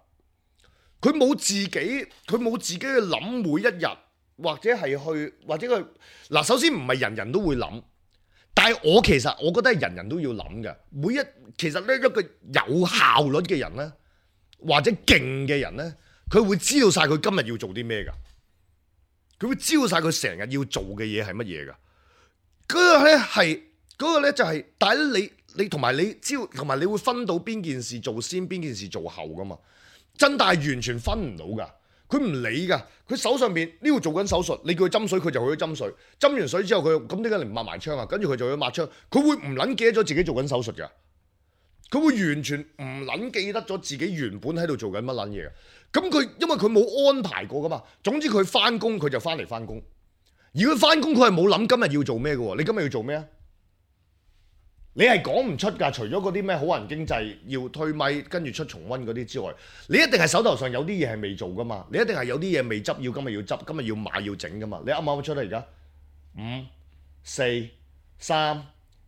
佢冇自己，佢冇自己去諗每一日，或者係去，或者佢嗱，首先唔係人人都會諗，但係我其實我覺得係人人都要諗嘅。每一其實咧一個有效率嘅人咧，或者勁嘅人咧，佢會知道晒佢今日要做啲咩㗎，佢會知道晒佢成日要做嘅嘢係乜嘢㗎。嗰個咧係嗰個咧就係、是，但係你你同埋你知道，同埋你會分到邊件事做先，邊件事做後噶嘛？真大完全分唔到噶，佢唔理噶，佢手上邊呢度做緊手術，你叫佢斟水，佢就去咗斟水，斟完水之後佢咁點解你唔抹埋槍啊？跟住佢就去抹槍，佢會唔撚記得咗自己做緊手術噶？佢會完全唔撚記得咗自己原本喺度做緊乜撚嘢嘅。咁佢因為佢冇安排過噶嘛，總之佢翻工佢就翻嚟翻工，而佢翻工佢係冇諗今日要做咩嘅喎。你今日要做咩啊？你係講唔出㗎，除咗嗰啲咩好人經濟要推咪跟住出重溫嗰啲之外，你一定係手頭上有啲嘢係未做㗎嘛，你一定係有啲嘢未執，要今日要執，今日要買要整㗎嘛。你啱唔啱出得而家？五、四、三、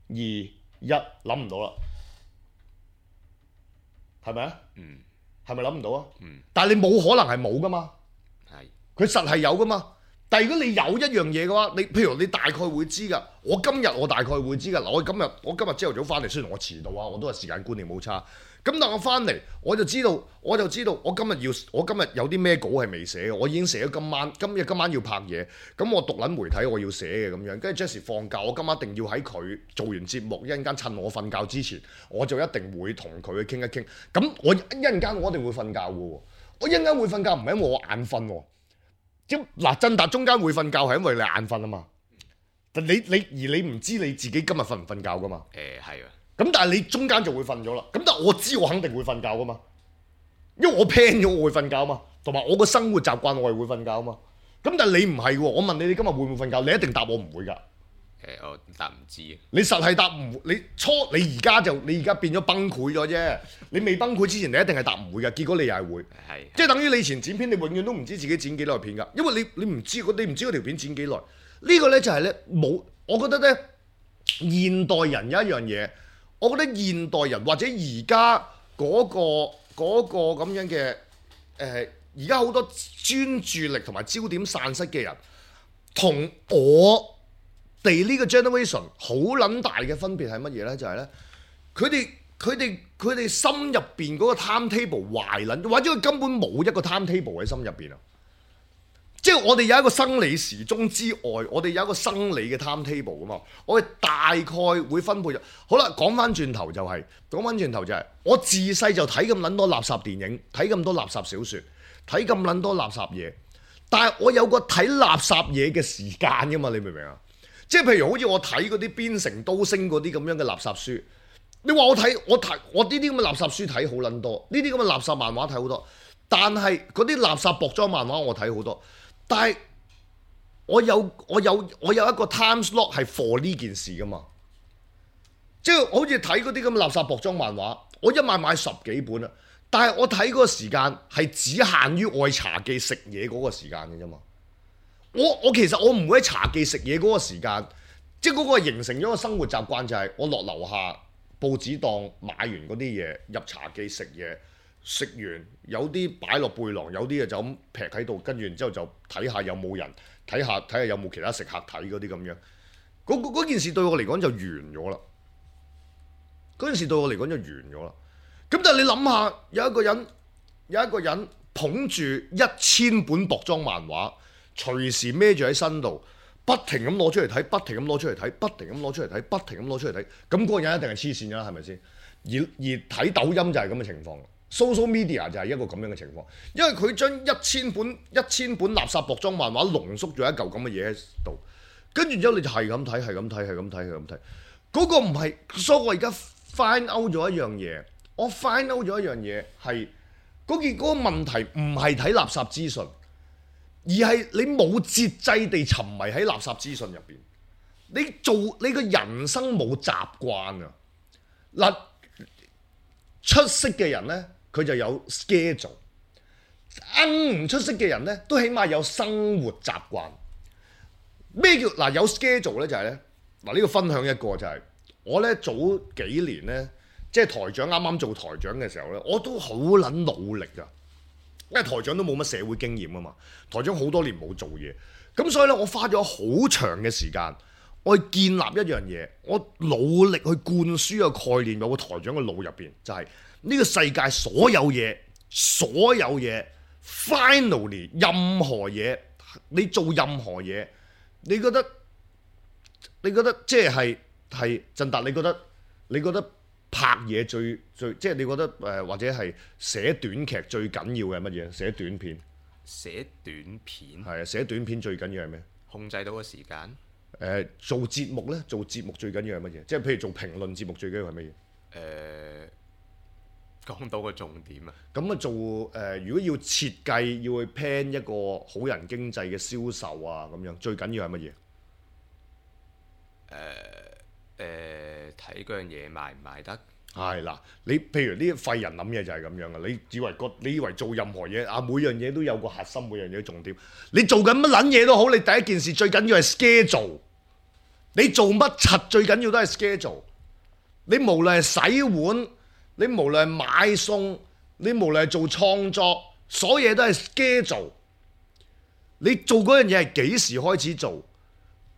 二、一，諗唔到啦，係咪啊？嗯。係咪諗唔到啊？嗯。但係你冇可能係冇㗎嘛。係。佢實係有㗎嘛。但係如果你有一樣嘢嘅話，你譬如你大概會知㗎。我今日我大概會知㗎。嗱，我今日我今日朝頭早翻嚟，雖然我遲到啊，我都係時間觀念冇差。咁但係我翻嚟我就知道，我就知道我今日要我今日有啲咩稿係未寫嘅，我已經寫咗今晚，今日今晚要拍嘢。咁我讀撚媒體我要寫嘅咁樣，跟住 Jessie 放假，我今晚一定要喺佢做完節目一陣間趁我瞓覺之前，我就一定會同佢去傾一傾。咁我一陣間我一定會瞓覺嘅喎，我一陣間會瞓覺唔係因為我眼瞓喎。嗱，振達中間會瞓覺係因為你眼瞓啊嘛，但你你而你唔知你自己今日瞓唔瞓覺噶嘛？誒係啊，咁但係你中間就會瞓咗啦。咁但係我知我肯定會瞓覺噶嘛，因為我 plan 咗我會瞓覺啊嘛，同埋我個生活習慣我係會瞓覺啊嘛。咁但係你唔係喎，我問你你今日會唔會瞓覺？你一定答我唔會㗎。誒我答唔知啊。你實係答唔，你初你而家就你而家變咗崩潰咗啫。你未崩潰之前，你一定係答唔會嘅。結果你又係會，係即係等於你以前剪片，你永遠都唔知自己剪幾耐片㗎，因為你你唔知你唔知嗰條片剪幾耐。呢個呢就係呢，冇，我覺得呢，現代人有一樣嘢，我覺得現代人或者而家嗰個嗰個咁樣嘅誒，而家好多專注力同埋焦點散失嘅人，同我哋呢個 generation 好撚大嘅分別係乜嘢呢？就係呢，佢哋佢哋佢哋心入邊嗰個 timetable 壞撚，或者佢根本冇一個 timetable 喺心入邊啊！即係我哋有一個生理時鐘之外，我哋有一個生理嘅 timetable 噶嘛。我哋大概會分配咗。好啦，講翻轉頭就係講翻轉頭就係、是、我自細就睇咁撚多垃圾電影，睇咁多垃圾小説，睇咁撚多垃圾嘢。但係我有個睇垃圾嘢嘅時間噶嘛，你明唔明啊？即係譬如好似我睇嗰啲邊城都星嗰啲咁樣嘅垃圾書，你話我睇我睇我呢啲咁嘅垃圾書睇好撚多，呢啲咁嘅垃圾漫畫睇好多，但係嗰啲垃圾薄裝漫畫我睇好多，但係我有我有我有一個 time slot 係 for 呢件事噶嘛，即係好似睇嗰啲咁嘅垃圾薄裝漫畫，我一買買十幾本啊，但係我睇嗰個時間係只限於愛茶記食嘢嗰個時間嘅啫嘛。我我其實我唔會喺茶記食嘢嗰個時間，即係嗰個形成咗個生活習慣，就係我落樓下報紙檔買完嗰啲嘢入茶記食嘢，食完有啲擺落背囊，有啲嘢就咁劈喺度，跟住然之後就睇下有冇人，睇下睇下有冇其他食客睇嗰啲咁樣。嗰嗰件事對我嚟講就完咗啦。嗰件事對我嚟講就完咗啦。咁但係你諗下，有一個人有一個人捧住一千本薄裝漫畫，隨時孭住喺身度，不停咁攞出嚟睇，不停咁攞出嚟睇，不停咁攞出嚟睇，不停咁攞出嚟睇，咁嗰個人一定係黐線㗎啦，係咪先？而而睇抖音就係咁嘅情況 ，social media 就係一個咁樣嘅情況，因為佢將一千本一千本垃圾薄裝漫畫濃縮咗一嚿咁嘅嘢喺度，跟住之後你就係咁睇，係咁睇，係咁睇，係咁睇，嗰個唔係，所以我而家 find out 咗一樣嘢，我 find out 咗一樣嘢係嗰件嗰個問題唔係睇垃圾資訊。而係你冇節制地沉迷喺垃圾資訊入邊，你做你個人生冇習慣啊！嗱，出色嘅人呢，佢就有 schedule，啱唔出色嘅人呢，都起碼有生活習慣。咩叫嗱有 schedule 呢？就係呢，嗱呢個分享一個就係、是、我呢早幾年呢，即係台長啱啱做台長嘅時候呢，我都好撚努力㗎。因為台長都冇乜社會經驗啊嘛，台長好多年冇做嘢，咁所以咧我花咗好長嘅時間，我去建立一樣嘢，我努力去灌輸個概念，有個台長嘅腦入邊，就係、是、呢個世界所有嘢，所有嘢 ，finally 任何嘢，你做任何嘢，你覺得你覺得即係係振達，你覺得你覺得拍嘢最最即係你覺得誒、呃、或者係寫短劇最緊要嘅係乜嘢？寫短片。寫短片係啊，寫短片最緊要係咩？控制到個時間。誒、呃，做節目咧，做節目最緊要係乜嘢？即係譬如做評論節目最緊要係乜嘢？誒、呃，講到個重點啊！咁啊做誒、呃，如果要設計要去 plan 一個好人經濟嘅銷售啊，咁樣最緊要係乜嘢？誒誒，睇嗰樣嘢賣唔賣得？係啦，你譬如呢啲廢人諗嘢就係咁樣嘅，你以為個你以為做任何嘢啊，每樣嘢都有個核心，每樣嘢都重點。你做緊乜撚嘢都好，你第一件事最緊要係 schedule。你做乜柒最緊要都係 schedule。你無論係洗碗，你無論係買餸，你無論係做創作，所有嘢都係 schedule。你做嗰樣嘢係幾時開始做？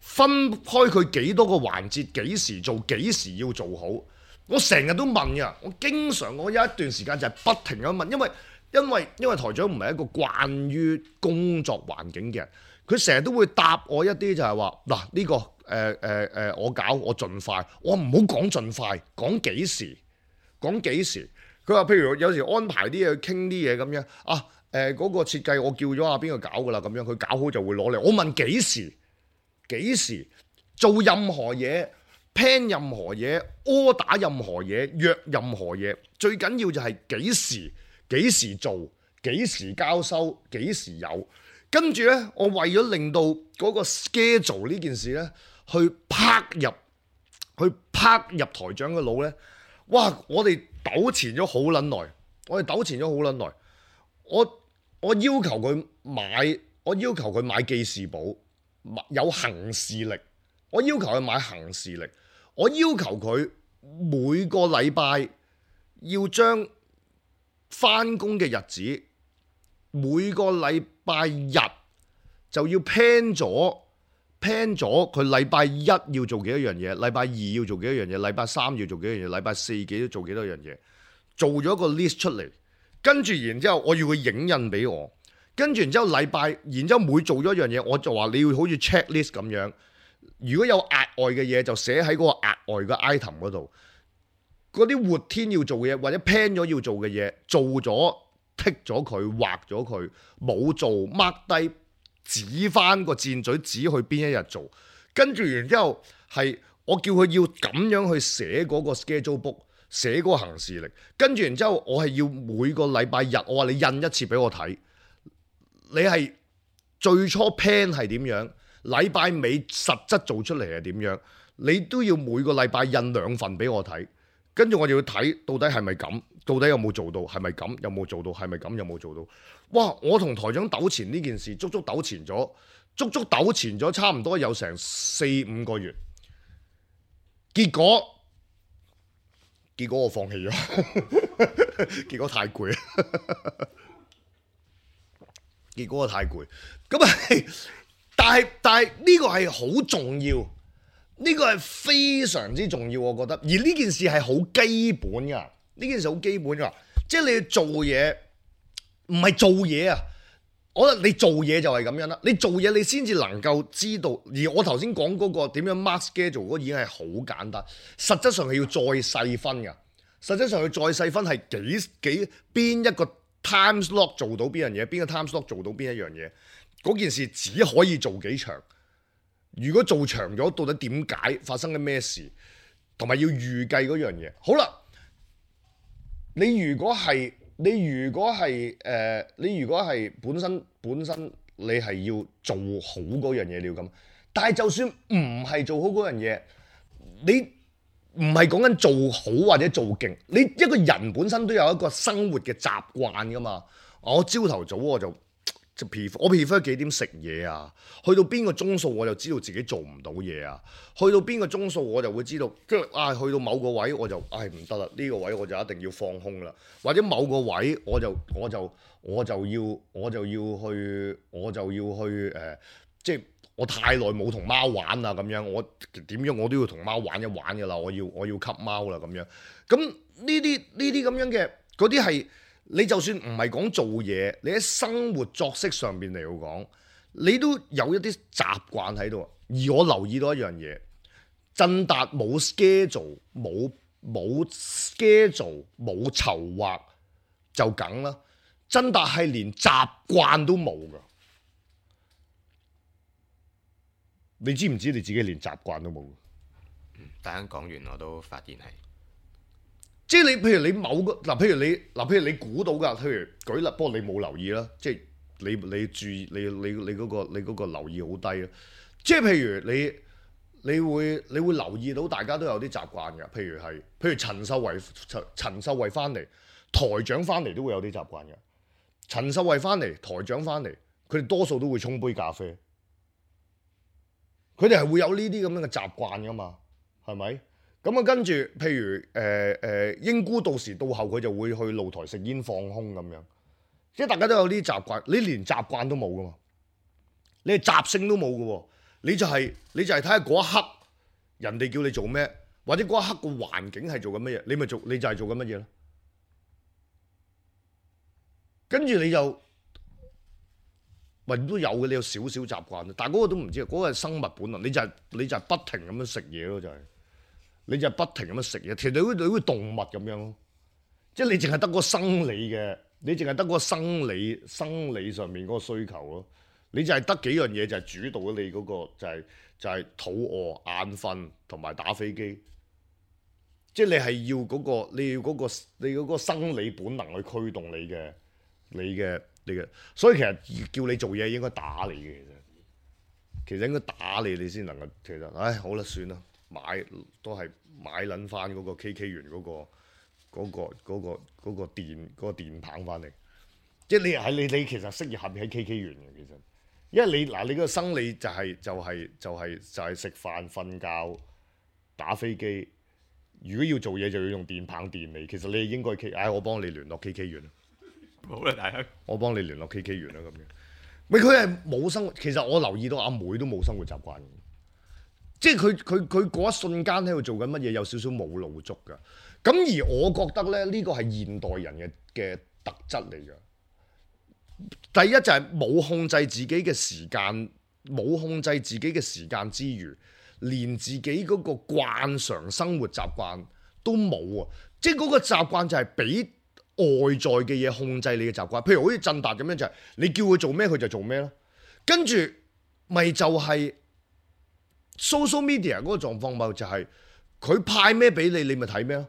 分開佢幾多個環節，幾時做，幾時要做好。我成日都問㗎，我經常我有一段時間就係不停咁問，因為因為因為台長唔係一個慣於工作環境嘅人，佢成日都會答我一啲就係話嗱呢個誒誒誒我搞我盡快，我唔好講盡快，講幾時講幾時。佢話譬如有時安排啲嘢傾啲嘢咁樣啊誒嗰、呃嗰個設計我叫咗阿邊個搞㗎啦，咁樣佢搞好就會攞嚟。我問幾時幾時做任何嘢。plan 任何嘢，order任何嘢，約任何嘢，最緊要就係幾時幾時做，幾時交收，幾時有。跟住呢，我為咗令到嗰個 schedule 呢件事呢，去拍入去拍入台長嘅腦呢。哇！我哋糾纏咗好撚耐，我哋糾纏咗好撚耐。我我要求佢買，我要求佢買記事簿，有行事曆。我要求佢買行事曆。我要求佢每個禮拜要將返工嘅日子，每個禮拜日就要 plan 咗 plan 咗佢禮拜一要做幾多樣嘢，禮拜二要做幾多樣嘢，禮拜三要做幾多樣嘢，禮拜四幾多做幾多樣嘢，做咗個 list 出嚟，跟住然之後我要佢影印俾我，跟住然之後禮拜，然之後每做咗一樣嘢，我就話你要好似 checklist 咁樣。如果有額外嘅嘢就寫喺嗰個額外嘅 item 嗰度，嗰啲活天要做嘅嘢或者 plan 咗要做嘅嘢做咗剔咗佢畫咗佢，冇做 mark 低指翻個箭嘴指去邊一日做，跟住然之後係我叫佢要咁樣去寫嗰個 schedule book， 寫嗰個行事曆，跟住然之後我係要每個禮拜日我話你印一次俾我睇，你係最初 plan 係點樣？禮拜尾實質做出嚟係點樣？你都要每個禮拜印兩份俾我睇，跟住我就要睇到底係咪咁，到底有冇做到，係咪咁，有冇做到，係咪咁，有冇做到？哇！我同台長糾纏呢件事，足足糾纏咗，足足糾纏咗差唔多有成四五個月，結果結果我放棄咗，結果太攰，結果我太攰，咁啊！但係但係呢個係好重要，呢個係非常之重要，我覺得。而呢件事係好基本㗎，呢件事好基本㗎，即係你要做嘢，唔係做嘢啊！我覺得你做嘢就係咁樣啦，你做嘢你先至能夠知道。而我頭先講嗰個點樣 mark schedule 嗰個已經係好簡單，實質上係要再細分㗎。實質上要再細分係幾幾邊一個 time slot 做到邊樣嘢，邊個 time slot 做到邊一樣嘢。嗰件事只可以做幾長，如果做長咗，到底點解發生緊咩事，同埋要預計嗰樣嘢。好啦，你如果係你如果係誒、呃，你如果係本身本身你係要做好嗰樣嘢，你要咁。但係就算唔係做好嗰樣嘢，你唔係講緊做好或者做勁，你一個人本身都有一個生活嘅習慣噶嘛。我朝頭早我就。就 prefer 我 prefer 幾點食嘢啊？去到邊個鐘數我就知道自己做唔到嘢啊？去到邊個鐘數我就會知道，跟住啊去到某個位我就唉唔得啦，呢個位我就一定要放空啦。或者某個位我就我就我就要我就要去我就要去誒、呃，即係我太耐冇同貓玩啦咁樣，我點樣我都要同貓玩一玩㗎啦。我要我要吸貓啦咁樣。咁呢啲呢啲咁樣嘅嗰啲係。你就算唔係講做嘢，你喺生活作息上邊嚟講，你都有一啲習慣喺度。而我留意到一樣嘢，振達冇 schedule 冇冇 schedule 冇籌劃就梗啦。真達係連習慣都冇噶，你知唔知你自己連習慣都冇？嗯，大家講完我都發現係，即係你譬如你某個嗱，譬如你嗱，譬如你估到㗎，譬如舉例，不過你冇留意啦，即係你你注意你你你嗰個你嗰個留意好低啦。即係譬如你你會你會留意到大家都有啲習慣㗎，譬如係譬如陳秀慧陳陳秀慧翻嚟，台長翻嚟都會有啲習慣嘅。陳秀慧翻嚟，台長翻嚟，佢哋多數都會沖杯咖啡，佢哋係會有呢啲咁樣嘅習慣㗎嘛，係咪？咁啊，跟住譬如誒誒、呃呃、英姑到時到後佢就會去露台食煙放空咁樣，即係大家都有呢啲習慣，你連習慣都冇㗎嘛，你係習性都冇㗎喎，你就係、是、你就係睇下嗰一刻人哋叫你做咩，或者嗰一刻個環境係做緊乜嘢，你咪做你就係做緊乜嘢咯。跟住你就，喂都有嘅，你有少少習慣，但係嗰個都唔知，嗰、嗰個係生物本能，你就係、係、你就係不停咁樣食嘢咯，就係、係，你就係不停咁樣食嘢，其實你好似好似動物咁樣咯，即係你淨係得嗰個生理嘅，你淨係得嗰個生理生理上面嗰個需求咯，你就係得幾樣嘢就係主導咗你嗰、嗰個就係、係、就係、係、肚餓、眼瞓同埋打飛機。即係你係要嗰、嗰個，你要嗰、嗰個，你嗰個生理本能去驅動你嘅。你嘅你嘅，所以其實叫你做嘢應該打你嘅，其實其實應該打你，你先能夠。其實，唉，好啦，算啦，買都係買撚翻嗰個 K K 園嗰個嗰個嗰個嗰個電嗰個電棒翻嚟。即係你係你你其實適宜合喺 K K 園嘅，其實，因為你嗱你嗰個生理就係就係就係就係食飯、瞓覺、打飛機。如果要做嘢就要用電棒電你，其實你應該 K， 唉，我幫你聯絡 K K 園。好啦，大家，我幫你聯絡 K K 園啦咁樣。咪佢係冇生活，其實我留意到阿妹都冇生活習慣嘅，即係佢佢佢嗰一瞬間喺度做緊乜嘢，有少少冇腦足㗎。咁而我覺得咧，呢個係現代人嘅嘅特質嚟嘅。第一就係冇控制自己嘅時間，冇控制自己嘅時間之餘，連自己嗰個慣常生活習慣都冇啊！即係嗰個習慣就係俾外在嘅嘢控制你嘅習慣，譬如好似振達咁樣就係、是、你叫佢做咩佢就做咩咯，跟住咪就係 social media 嗰個狀況咪就係佢派咩俾你，你咪睇咩咯。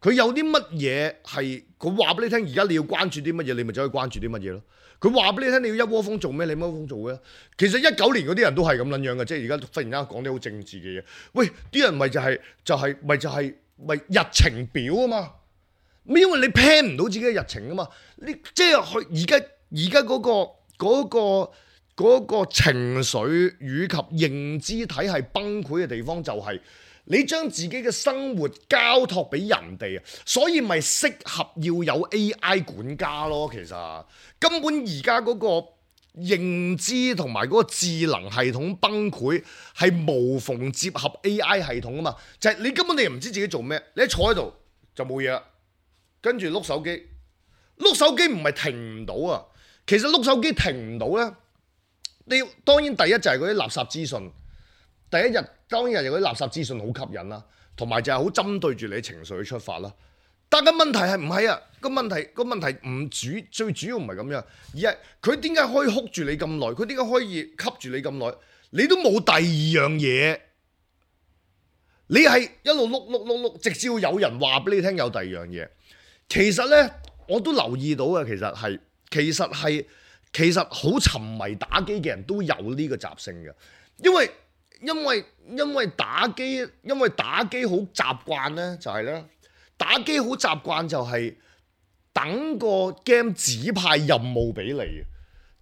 佢有啲乜嘢係佢話俾你聽，而家你要關注啲乜嘢，你咪走去關注啲乜嘢咯。佢話俾你聽，你要一窩蜂做咩，你一窩蜂做嘅。其實一九年嗰啲人都係咁撚樣嘅，即係而家忽然間講啲好政治嘅嘢。喂，啲人咪就係、是、就係、是、咪就係、是、咪日程表啊嘛。因為你 plan 唔到自己嘅日程啊嘛，你即係佢而家而家嗰個嗰、嗰個嗰個情緒與及認知體系崩潰嘅地方就係你將自己嘅生活交託俾人哋啊，所以咪適合要有 A I 管家咯。其實根本而家嗰個認知同埋嗰個智能系統崩潰係無縫接合 A I 系統啊嘛，就係、是、你根本你又唔知自己做咩，你一坐喺度就冇嘢啦。跟住碌手機，碌手機唔係停唔到啊！其實碌手機停唔到咧，你當然第一就係嗰啲垃圾資訊，第一日當然係嗰啲垃圾資訊好吸引啦，同埋就係好針對住你情緒去出發啦。但係問題係唔係啊？個問題個問題唔主最主要唔係咁樣，而係佢點解可以 hold 住你咁耐？佢點解可以吸住你咁耐？你都冇第二樣嘢，你係一路碌碌碌碌，直至有人話俾你聽有第二樣嘢。其實咧，我都留意到嘅，其實係，其實係，其實好沉迷打機嘅人都有呢個習性嘅，因為因為因為打機，因為打機好習慣咧，就係咧，打機好習慣就係等個 game 指派任務俾你，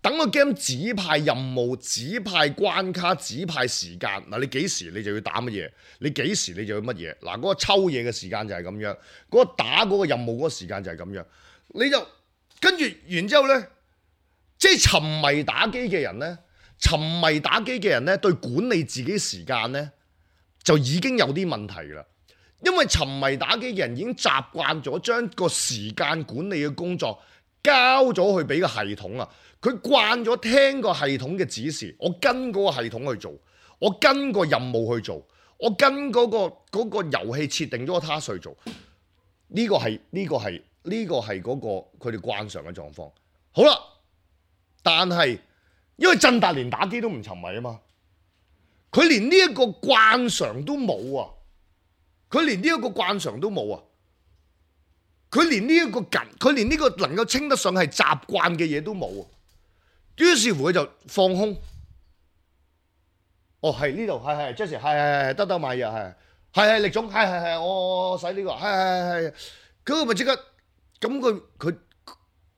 等個 game 指派任務、指派關卡、指派時間。嗱，你幾時你就要打乜嘢？你幾時你就要乜嘢？嗱，嗰個抽嘢嘅時間就係咁樣，嗰個打嗰個任務嗰個時間就係咁樣。你就跟住完之後呢，即係沉迷打機嘅人呢，沉迷打機嘅人呢，對管理自己時間呢，就已經有啲問題啦。因為沉迷打機嘅人已經習慣咗將個時間管理嘅工作交咗去俾個系統啊。佢慣咗聽個系統嘅指示，我跟嗰個系統去做，我跟個任務去做，我跟嗰、個嗰、個遊戲設定咗個 task 去做，呢、個係呢、個係呢、個係嗰、個佢哋慣常嘅狀況。好啦，但係因為振達連打機都唔沉迷啊嘛，佢連呢一個慣常都冇啊，佢連呢一個慣常都冇啊，佢連呢一個緊，佢連呢個能夠稱得上係習慣嘅嘢都冇啊，於是乎佢就放空。哦，係呢度，係係 Jesse， 係係係得得買嘢，係係係力總，係係係我我使呢個，係係係，咁佢咪即刻，咁佢佢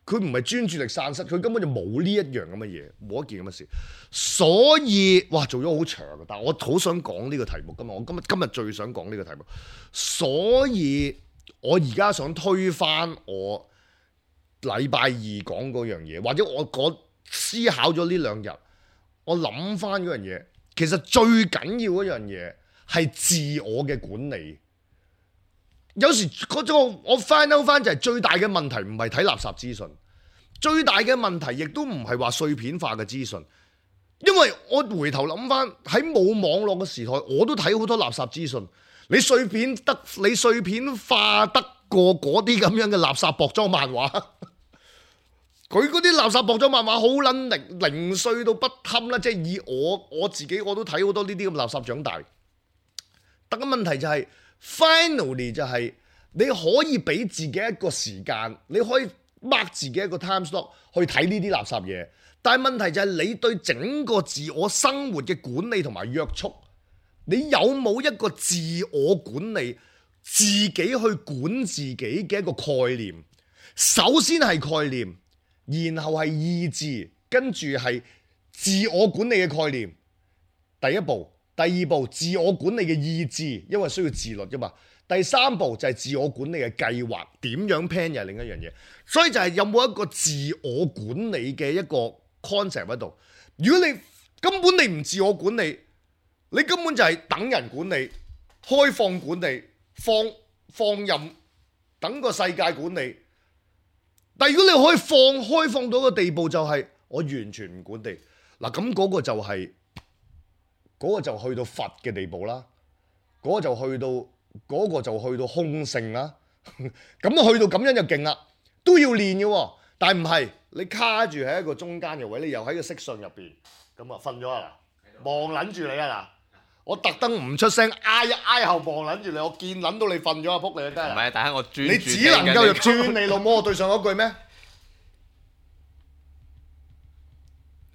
佢唔係專注力散失，佢根本就冇呢一樣咁嘅嘢，冇一件咁嘅事，所以哇做咗好長嘅，但係我好想講呢個題目，今日我今日今日最想講呢個題目，所以我而家想推翻我禮拜二講嗰樣嘢，或者我嗰思考咗呢兩日，我諗翻嗰樣嘢。其實最緊要嗰樣嘢係自我嘅管理。有時嗰種我 find out 翻就係最大嘅問題唔係睇垃圾資訊，最大嘅問題亦都唔係話碎片化嘅資訊。因為我回頭諗翻喺冇網絡嘅時代，我都睇好多垃圾資訊。你碎片得你碎片化得過嗰啲咁樣嘅垃圾薄裝漫畫？佢嗰啲垃圾薄裝漫畫好撚零零碎到不堪啦，即係以我我自己我都睇好多呢啲咁垃圾長大。但個問題就係 finally 就係你可以俾自己一個時間，你可以 mark 自己一個 time slot 去睇呢啲垃圾嘢。但係問題就係你對整個自我生活嘅管理同埋約束，你有冇一個自我管理、自己去管自己嘅一個概念？首先係概念。然後係意志，跟住係自我管理嘅概念。第一步，第二步自我管理嘅意志，因為需要自律㗎嘛。第三步就係自我管理嘅計劃，點樣 plan 又係另一樣嘢。所以就係有冇一個自我管理嘅一個 concept 喺度。如果你根本你唔自我管理，你根本就係等人管理、開放管理、放放任，等個世界管理。但如果你可以放開放到個地步，就係我完全唔管理嗱，咁嗰個就係、是、嗰、嗰個就去到佛嘅地步啦，嗰、嗰個就去到嗰、嗰個就去到空性啦。咁去到咁樣就勁啦，都要練嘅喎。但係唔係你卡住喺一個中間嘅位，你又喺個色相入邊，咁啊瞓咗啊嗱，望撚住你啊嗱。我特登唔出聲，挨一挨後望撚住你，我見撚到你瞓咗啊！仆你啊，真係！唔係，但係我專注你只能夠入轉你老母，我對上嗰句咩？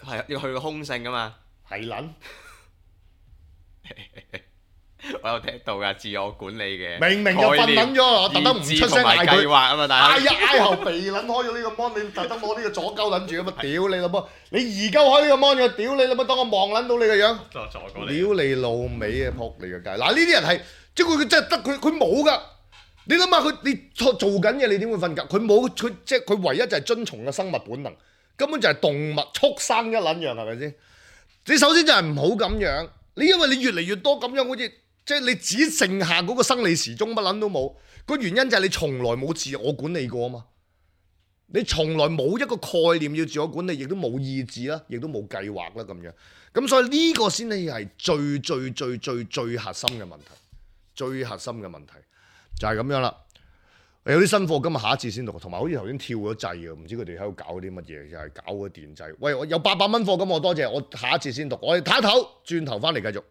係要去個空性噶嘛？係撚。我有聽到㗎，自我管理嘅明明就瞓撚咗，我特登唔出聲嗌佢。挨一挨後鼻撚開咗呢個 mon，你特登攞呢個左鳩撚住咁啊！屌你老母！你而家開呢個 mon 嘅，屌你老母！當我望撚到你個樣，屌你老味啊！仆你個街！嗱呢啲人係即係佢真係得佢佢冇㗎。你諗下佢你做做緊嘢，你點會瞓覺？佢冇佢即係佢唯一就係遵從嘅生物本能，根本就係動物畜生一撚樣係咪先？你首先就係唔好咁樣。你因為你越嚟越多咁樣，好似〜即係你只剩下嗰個生理時鐘乜撚都冇，個原因就係你從來冇自我管理過啊嘛！你從來冇一個概念要自我管理，亦都冇意志啦，亦都冇計劃啦咁樣。咁所以呢個先至係最最最最最核心嘅問題，最核心嘅問題就係咁樣啦。有啲新貨今日下一次先讀，同埋好似頭先跳咗掣啊！唔知佢哋喺度搞啲乜嘢，又係搞個電掣。喂，我有八百蚊貨咁，我多謝，我下一次先讀。我哋睇一唞，轉頭翻嚟繼續。